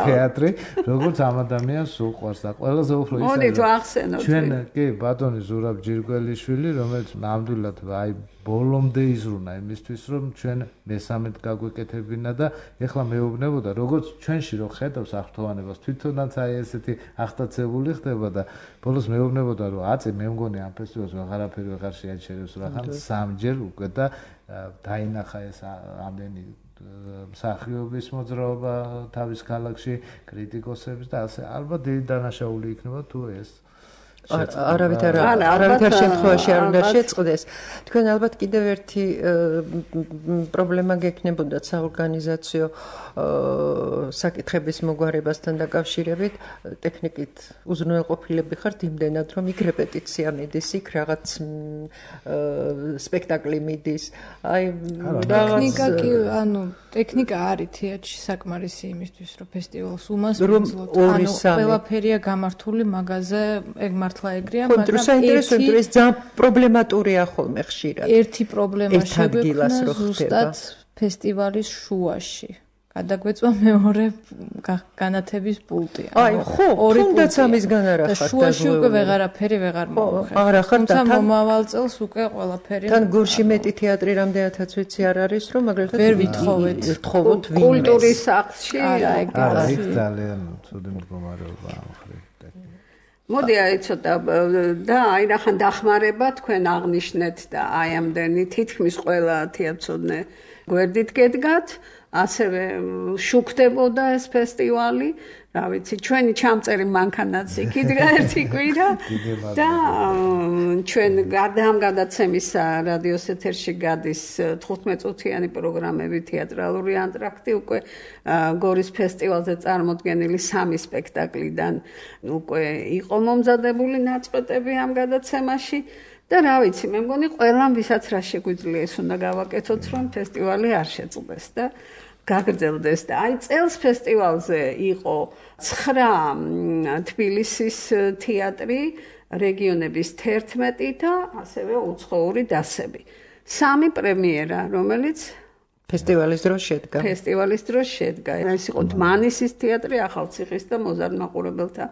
თეატრი როგორც ამ ადამიანს უყვარს და ყველაზე უფრო ის მოდით ვახსენოთ ჩვენ კი ბატონი ზურაბ ჯირგველიშვილი რომელიც ნამდვილად აი ბოლომდე იზრუნა იმისთვის რომ ჩვენ მესამედ გაგვეკეთებინა და ეხლა მეუბნებოდა როგორც ჩვენში რო ხედავს აღფრთოვანებას თვითონაც აი ესეთი აღტაცებული ხდება და ბოლოს მეუბნებოდა რომ აწი მე მგონი ამ ფესტივალს ვეღარაფერი ვეღარ შეაჩერებს რახან სამჯერ უკვე და დაინახა ეს ამდენი მსახიობის მოძრაობა თავის ქალაქში კრიტიკოსების და ასე ალბათ დიდი დანაშაული იქნება თუ ეს არავითარ არავითარ შემთხვევაში არ უნდა შეწყდეს. თქვენ ალბათ კიდევ ერთი პრობლემა გექნებოდათ საორგანიზაციო საკითხების მოგვარებასთან დაკავშირებით, ტექნიკით უზრუნველყოფილები ხართ იმდენად, რომ იქ რეპეტიცია მიდის, იქ რაღაც სპექტაკლი მიდის. აი ტექნიკა კი, ანუ ტექნიკა არის თეატრში საკმარისი იმისთვის, რომ ფესტივალს უმასპინძლოთ. ანუ ყველაფერია გამართული მაგაზე, ეგ მართლა ეგრეა, მაგრამ საინტერესოა ეს ძალიან პრობლემატურია ხოლმე ხშირად. ერთი პრობლემა შეგვექნა ზუსტად ფესტივალის შუაში. გადაგვეწვა მეორე განათების პულტი. აი, ხო, თუნდაც ამისგან არ ახართ. შუაში უკვე ვეღარაფერი ვეღარ მოვხერთ. არ ახართ და თან მომავალ წელს უკვე ყველაფერი. თან გორში მეტი თეატრი რამდენადაც ვიცი არ არის, რომ მაგალითად ვერ ვითხოვეთ. ვითხოვოთ კულტურის სახლში. არა, ეგ არის ძალიან ცუდი მდგომარეობა ამ ხრით. მოდი აი ცოტა და აი რახან დახმარება თქვენ აღნიშნეთ და აი ამდენი თითქმის ყველა თეატრცოდნე გვერდით გედგათ, ასევე შუქდებოდა ეს ფესტივალი, რა ვიცი, ჩვენი ჩამწერი მანქანაც იქიდგა ერთი კვირა და ჩვენ გარდა ამ გადაცემისა რადიოს ეთერში გადის თხუთმეტ წუთიანი პროგრამები თეატრალური ანტრაქტი უკვე გორის ფესტივალზე წარმოდგენილი სამი სპექტაკლიდან უკვე იყო მომზადებული ნაწყვეტები ამ გადაცემაში და რა ვიცი, მე მგონი ყველამ ვისაც რა შეგვიძლია ეს უნდა გავაკეთოთ, რომ ფესტივალი არ შეწყდეს და გაგრძელდეს და აი წელს ფესტივალზე იყო ცხრა თბილისის თეატრი, რეგიონების თერთმეტი და ასევე უცხოური დასები. სამი პრემიერა, რომელიც ფესტივალის დროს შედგა. ფესტივალის დროს შედგა. ეს იყო დმანისის თეატრი, ახალციხის და მოზარდ მაყურებელთა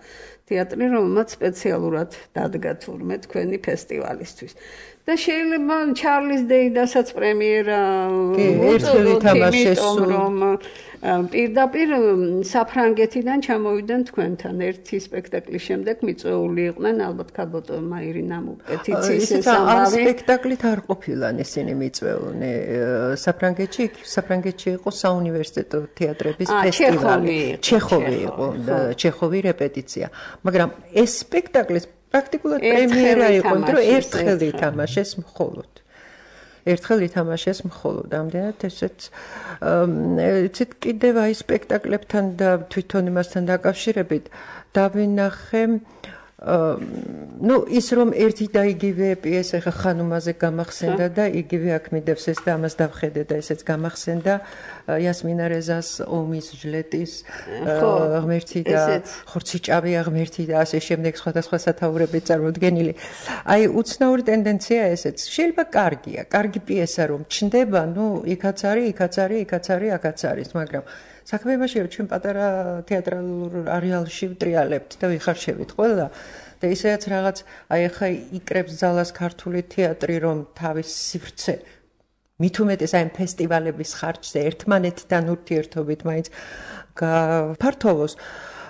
თეატრი, რომელმაც სპეციალურად დადგა თურმე თქვენი ფესტივალისთვის. და შეიძლება ჩარლის დეიდასაც პრემიერა ერთხელ ითამაშეს, რომ პირდაპირ საფრანგეთიდან ჩამოვიდნენ თქვენთან ერთი სპექტაკლის შემდეგ მიწვეული იყვნენ ალბათ ქალბატონმა ირინამ პეტიციის ამ სპექტაკლით არ ყოფილან ისინი მიწვეულნი საფრანგეთში საფრანგეთში იყო საუნივერსიტეტო თეატრების ფესტივალი ჩეხოვი იყო ჩეხოვი რეპეტიცია მაგრამ ეს სპექტაკლის პრაქტიკულად პრემიერა იყო რომ ერთხელ ითამაშეს მხოლოდ ერთხელ ითამაშეს მხოლოდ ამდენად ესეც იცით კიდევ აი სპექტაკლებთან და თვითონ იმასთან დაკავშირებით დავინახე ну ის რომ ერთი და იგივე პიესა ხა ხანუმაზე გამახსენდა და იგივე აქ მიდევს ეს და ამას დავხედე და ესეც გამახსენდა იასმინა რეზას ომის ჟლეტის ღმერთი და ხორციჭავი ღმერთი და ასე შემდეგ სხვადასხვა სათაურებით წარმოდგენილი აი უცნაური ტენდენცია ესეც შეიძლება კარგია კარგი პიესა რომ ჩნდება ну იქაც არის იქაც არის იქაც არის აქაც არის მაგრამ საქმე იმაშია რომ ჩვენ პატარა თეატრალურ არეალში ვტრიალებთ და ვიხარშევით ყველა და ისედაც რაღაც აი ახლა იკრებს ძალას ქართული თეატრი რომ თავის სივრცე მით უმეტეს აი ფესტივალების ხარჯზე ერთმანეთთან ურთიერთობით მაინც გაფართოვოს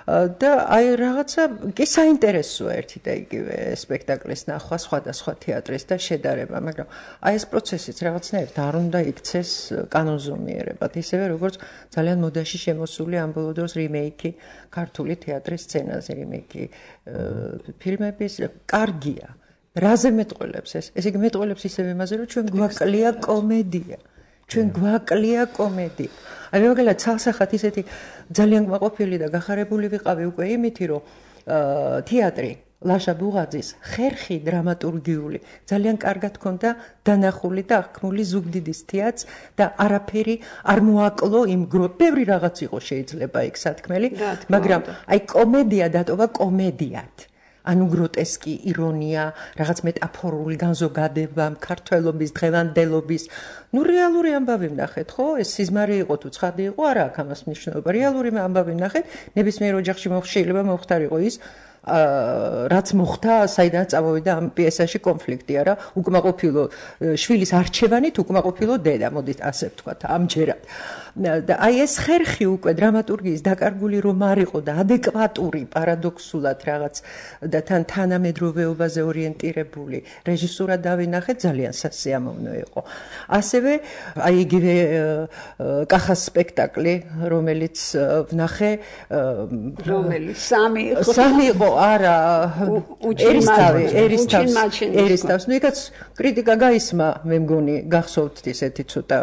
და აი რაღაცა კი საინტერესოა ერთი და იგივე სპექტაკლის ნახვა სხვადასხვა თეატრის და შედარება, მაგრამ აი ეს პროცესიც რაღაცნაირად არ უნდა იქცეს კანონზომიერებად, ისევე როგორც ძალიან მოდაში შემოსული ამ ბოლო დროს რიმეიკი ქართული თეატრის სცენაზე რიმეიკი ფილმების კარგია. რაზე მეტყველებს ეს? ეს იგი მეტყველებს ისევ იმაზე, რომ ჩვენ გვაკლია კომედია. ჩვენ გვაკლია კომედია. აი მაგალითად ცალსახად ისეთი ძალიან კმაყოფილი და გახარებული ვიყავი უკვე იმითი რომ თეატრი ლაშა ბუღაძის ხერხი დრამატურგიული ძალიან კარგად ჰქონდა დანახული და აღქმული ზუგდიდის თეატრს და არაფერი არ მოაკლო იმ ბევრი რაღაც იყო შეიძლება იქ სათქმელი, მაგრამ აი კომედია დატოვა კომედიად. ანუ გროტესკი, ირონია, რაღაც მეტაფორული განზოგადება, ქართველობის, დღევანდელობის. ნუ რეალური ამბავი ვნახეთ, ხო? ეს სიზმარი იყო თუ ცხადი იყო, არა აქვს ამას მნიშვნელობა. რეალური ამბავი ვნახეთ, ნებისმიერ ოჯახში შეიძლება მოხდარიყო ის რაც მოხდა, საიდანაც წამოვიდა ამ პიესაში კონფლიქტი, არა? უკმაყოფილო შვილის არჩევანით უკმაყოფილო დედა, მოდით ასე ვთქვათ, ამჯერად. და აი ეს ხერხი უკვე დრამატურგიის დაკარგული რომ არ იყო და ადეკვატური პარადოქსულად რაღაც და თან თანამედროვეობაზე ორიენტირებული რეჟისურა დავინახეთ, ძალიან სასიამოვნო იყო. ასევე აი იგივე კახას სპექტაკლი, რომელიც ვნახე, რომელიც სამი იყო. სამი იყო, არა, ერისთავი, ერისთავს, ერისთავს. ნუ იქაც კრიტიკა გაისმა, მე მგონი, გახსოვთ ისეთი ცოტა,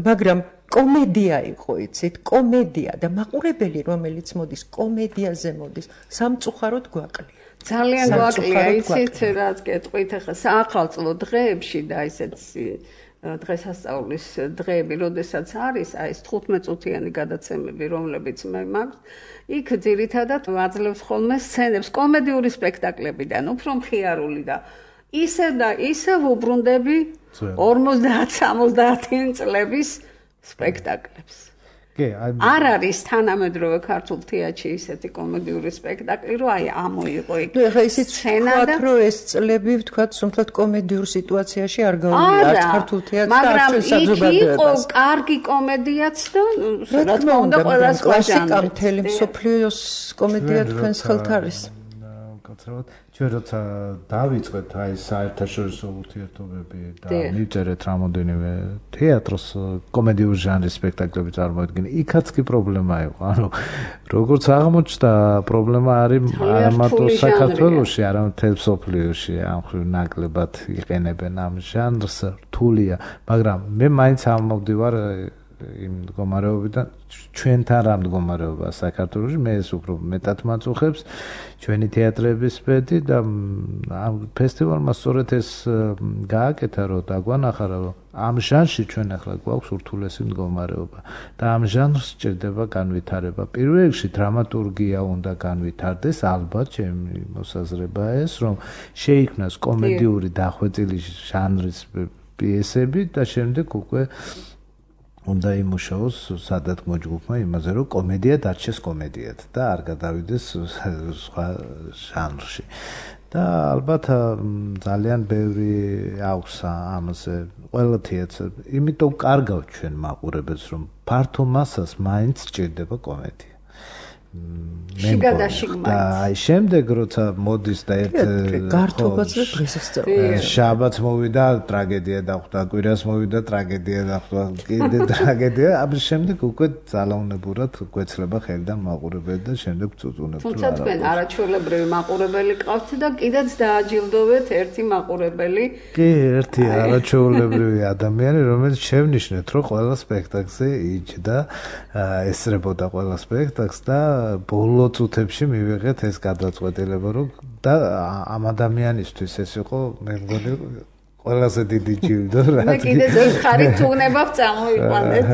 მაგრამ კომედია იყო, იცით, კომედია და მაყურებელი, რომელიც მოდის კომედიაზე მოდის, სამწუხაროდ გვაკლია. ძალიან გვაკლია, იცით, რაც კეთყვით ახლა საახალწლო დღეებში და ისეთ დღესასწაულის დღეები, როდესაც არის, აი ეს თხუთმეტ-წუთიანი გადაცემები, რომლებიც მე მაქვს, იქ ძირითადად ვაძლევს ხოლმე სცენებს კომედიური სპექტაკლებიდან, უფრო მხიარული და ისევ და ისევ უბრუნდები ორმოცდაათ-სამოცდაათი წლების სპექტაკლებს. არ არის თანამედროვე ქართულ თეატრში ისეთი კომედიური სპექტაკლი, რომ აი ამოიღო იქ. ნუ ეხლა ისიც ვთქვათ, რომ ეს წლები ვთქვათ, სულ კომედიურ სიტუაციაში არ გავიდა არც ქართულ თეატრს და არც საზოგადოებას. მაგრამ იქ იყო კარგი კომედიაც და რა თქმა უნდა ყველა სხვა კლასიკა მთელი მსოფლიოს კომედია თქვენს ხელთ არის. კაცრავად ჩვენ როცა დავიწყეთ აი საერთაშორისო ურთიერთობები და მივწერეთ რამოდენიმე თეატრს კომედიურ ჟანრის სპექტაკლები წარმოედგინა, იქაც კი პრობლემა იყო. ანუ როგორც აღმოჩნდა, პრობლემა არის არა მარტო საქართველოში, არამედ მთელ მსოფლიოში, ამ ხრივ ნაკლებად იყენებენ ამ ჟანრს, რთულია, მაგრამ მე მაინც ამოვდივარ იმ მდგომარეობიდან, ჩვენთან რა მდგომარეობაა საქართველოში, მე ეს უფრო მეტად მაწუხებს ჩვენი თეატრების სპედი და ამ ფესტივალმა სწორედ ეს გააკეთა, რომ დაგვანახა, რომ ამ ჟანრში ჩვენ ახლა გვაქვს ურთულესი მდგომარეობა და ამ ჟანრს სჭირდება განვითარება. პირველ რიგში დრამატურგია უნდა განვითარდეს, ალბათ ჩემი მოსაზრებაა ეს, რომ შეიქმნას კომედიური დახვეწილი ჟანრის პიესები და შემდეგ უკვე უნდა იმუშაოს სადათმო ჯგუფმა იმაზე, რომ კომედია დარჩეს კომედიად და არ გადავიდეს სხვა ჟანრში. და ალბათ ძალიან ბევრი აქვს ამაზე ყველა თეატრს. იმიტომ კარგავთ ჩვენ მაყურებელს, რომ ფართო მასას მაინც სჭირდება კომედია. შიგადაში მაინც. და აი შემდეგ როცა მოდის და ერთ გართობაც და დღესასწაული. შაბათს მოვიდა ტრაგედია დახვდა, კვირას მოვიდა ტრაგედია დახვდა, კიდე ტრაგედია, ამის შემდეგ უკვე ძალაუნებურად გვეცლება ხელიდან მაყურებელი და შემდეგ წუწუნებთ. თუმცა თქვენ არაჩვეულებრივი მაყურებელი ყავთ და კიდეც დააჯილდოვეთ ერთი მაყურებელი. კი, ერთი არაჩვეულებრივი ადამიანი, რომელიც შევნიშნეთ, რომ ყველა სპექტაკლზე იჯდა, ესწრებოდა ყველა სპექტაკლს და ბოლო წუთებში მივიღეთ ეს გადაწყვეტილება, რომ და ამ ადამიანისთვის ეს იყო, მე მგონი, ყველაზე დიდი ჯილდო რა. მე კიდე ზოგხარით თუნებავ წამოვიყვანეთ.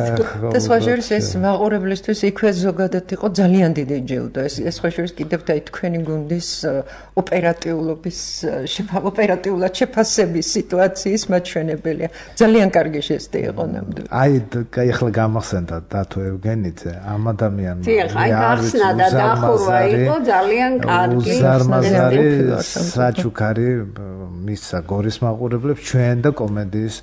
და სხვა შორის ეს მაყურებლისთვის იქვე ზოგადად იყო ძალიან დიდი ჯილდო. ეს ეს სხვა შორის კიდევ და თქვენი გუნდის ოპერატიულობის ოპერატიულად შეფასების სიტუაციის მაჩვენებელია. ძალიან კარგი ჟესტი იყო ნამდვილად. აი, ახლა გამახსენდა დათო ევგენიძე, ამ ადამიანმა. დიახ, აი გახსნა და დახურვა იყო ძალიან კარგი. უზარმაზარი საჩუქარი მისცა გორის მაყურებლებს ჩვენ და კომედიის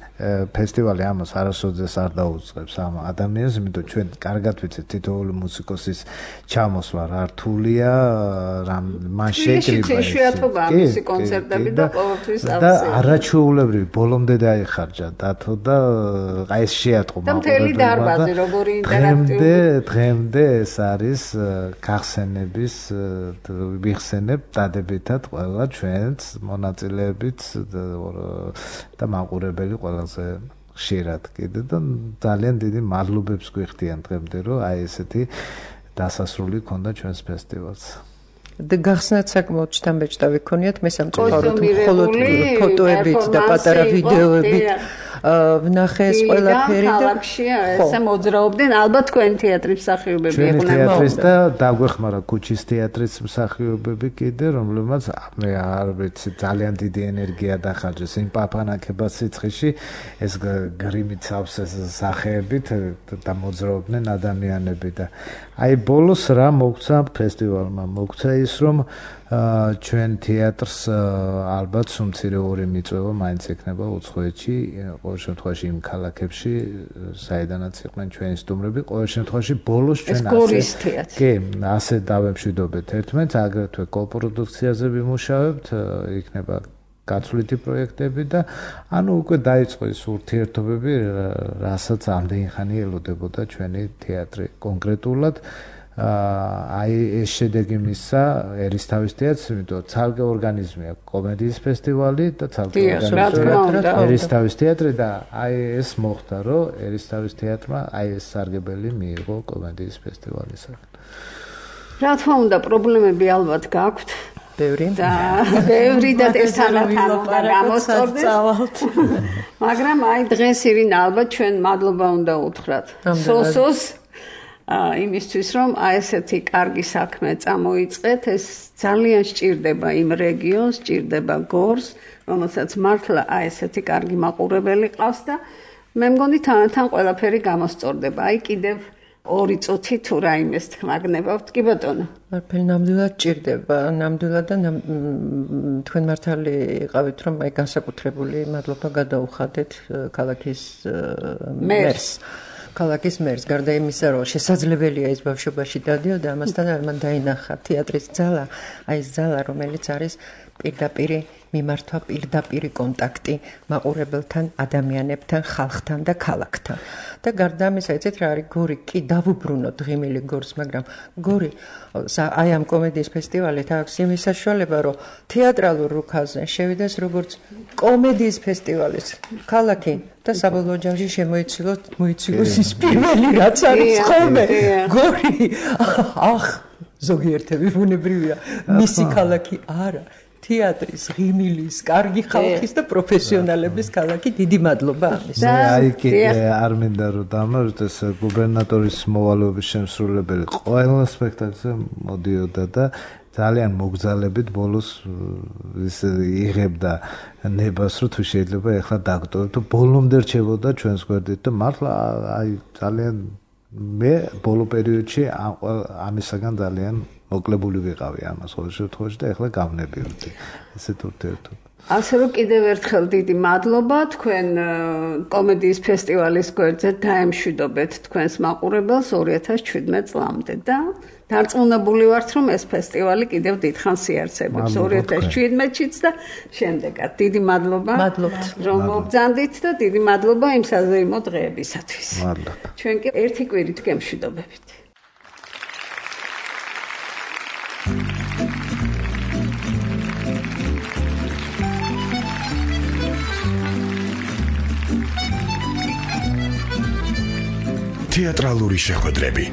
ფესტივალი ამას არასოდეს არ დაუწყებს ამ ადამიანს, იმიტომ ჩვენ კარგად ვიცით თითოეული მუსიკოსის ჩამოსვლა რა რთულია, რამ მან შეკრიბა ეს შეათობა მისი კონცერტები და ყოველთვის და არაჩვეულებრივი ბოლომდე დაიხარჯა დათო და აი ეს შეატყო და მთელი დარბაზი როგორი ინტერაქტიული დღემდე ეს არის გახსენების ვიხსენებ დადებითად ყველა ჩვენს მონაწილეებით და მაყურებელი ყველაზე ხშირად კიდე და ძალიან დიდი მადლობებს გვიხდიან დღემდე, რომ აი ესეთი დასასრული ქონდა ჩვენს ფესტივალს. და გახსნათ საკმაოდ შთამბეჭდავი ქონიათ მე სამწუხაროდ მხოლოდ ფოტოებით და პატარა ვიდეოებით ვნახე ეს ყველაფერი და ქალაქში ესე მოძრაობდნენ ალბათ თქვენ თეატრის მსახიობები იყვნენ თეატრის და დაგვეხმარა ქუჩის თეატრის მსახიობები კიდე რომლებმაც მე არ ვიცი ძალიან დიდი ენერგია დახარჯეს იმ პაპანაკებას სიცხეში ეს გრიმით სავსეს სახეებით და მოძრაობდნენ ადამიანები და აი ბოლოს რა მოგცა ფესტივალმა მოგცა ის რომ ჩვენ თეატრს ალბათ სუმცირე ორი მიწვევა მაინც ექნება უცხოეთში ყოველ შემთხვევაში იმ ქალაქებში საიდანაც იყვნენ ჩვენი სტუმრები ყოველ შემთხვევაში ბოლოს ჩვენ ასე კი ასე დავემშვიდობეთ ერთმანეთს აგრეთვე კოპროდუქციაზე ვიმუშავებთ იქნება გაცვლითი პროექტები და ანუ უკვე დაიწყო ის ურთიერთობები რასაც ამდენი ხანი ელოდებოდა ჩვენი თეატრი კონკრეტულად აი ეს შედეგი მისცა ერისთავის თეატრს, იმიტომ ცალკე ორგანიზმია კომედიის ფესტივალი და ცალკე ორგანიზმია ერისთავის თეატრი და აი ეს მოხდა, რომ ერისთავის თეატრმა აი ეს სარგებელი მიიღო კომედიის ფესტივალისაგან. რა თქმა უნდა, პრობლემები ალბათ გაქვთ. ბევრი და ბევრი და ერთმანეთთან უნდა გამოსწორდეს. მაგრამ აი დღეს ირინა ალბათ ჩვენ მადლობა უნდა უთხრათ. სოსოს იმისთვის რომ აი ესეთი კარგი საქმე წამოიწყეთ ეს ძალიან სჭირდება იმ რეგიონს, სჭირდება გორს, რომელსაც მართლა აი ესეთი კარგი მაყურებელი ყავს და მე მგონი თანათან ყველაფერი გამოსწორდება. აი კიდევ ორი წუთი თუ რაიმეს თქმაგნებავთ, კი ბატონო. არაფერი ნამდვილად სჭირდება, ნამდვილად და თქვენ მართალი იყავით რომ აი განსაკუთრებული მადლობა გადაუხადეთ ქალაქის მერს. ქალაქის მერს გარდა იმისა რომ შესაძლებელია ის ბავშვობაში დადიოდა ამასთან არ მან დაინახა თეატრის ძალა აი ეს ძალა რომელიც არის პირდაპირი მიმართვა პირდაპირი კონტაქტი მაყურებელთან ადამიანებთან ხალხთან და ქალაქთან და გარდა ამისა იცით რა არის გორი კი დავუბრუნოთ ღიმილი გორს მაგრამ გორი აი ამ კომედიის ფესტივალით აქვს იმის საშუალება რომ თეატრალურ რუკაზე შევიდეს როგორც კომედიის ფესტივალის ქალაქი და საბოლოო ჯამში შემოიცილოთ მოიცილოს ის პირველი რაც არის ხოლმე გორი ახ ზოგიერთები ბუნებრივია მისი ქალაქი არა თეატრის, ღიმილის, კარგი ხალხის და პროფესიონალების ქალაქი დიდი მადლობა ამის. აი კი არ მინდა რომ დამართ ეს გუბერნატორის მოვალეობის შემსრულებელი ყველა სპექტაკლზე მოდიოდა და ძალიან მოგზალებით ბოლოს ის იღებდა ნებას რომ თუ შეიძლება ეხლა დაგტოვებთ ბოლომდე რჩებოდა ჩვენს გვერდით და მართლა აი ძალიან მე ბოლო პერიოდში ამისაგან ძალიან მოკლებული ვიყავი ამას ყოველ შემთხვევაში და ეხლა გავნებიოდი ესეთ ურთიერთობა. ასე რომ კიდევ ერთხელ დიდი მადლობა თქვენ კომედიის ფესტივალის გვერდზე დაემშვიდობეთ თქვენს მაყურებელს ორი ათას შვიდმეტ წლამდე და დარწმუნებული ვართ რომ ეს ფესტივალი კიდევ დიდხანს იარსებებს ორი ათას შვიდმეტშიც და შემდეგაც დიდი მადლობა რომ მოგზანდით და დიდი მადლობა იმ საზეიმო დღეებისათვის. მადლობა. ჩვენ კი ერთი კვირით გემშვიდობებით. თეატრალური შეხვედრები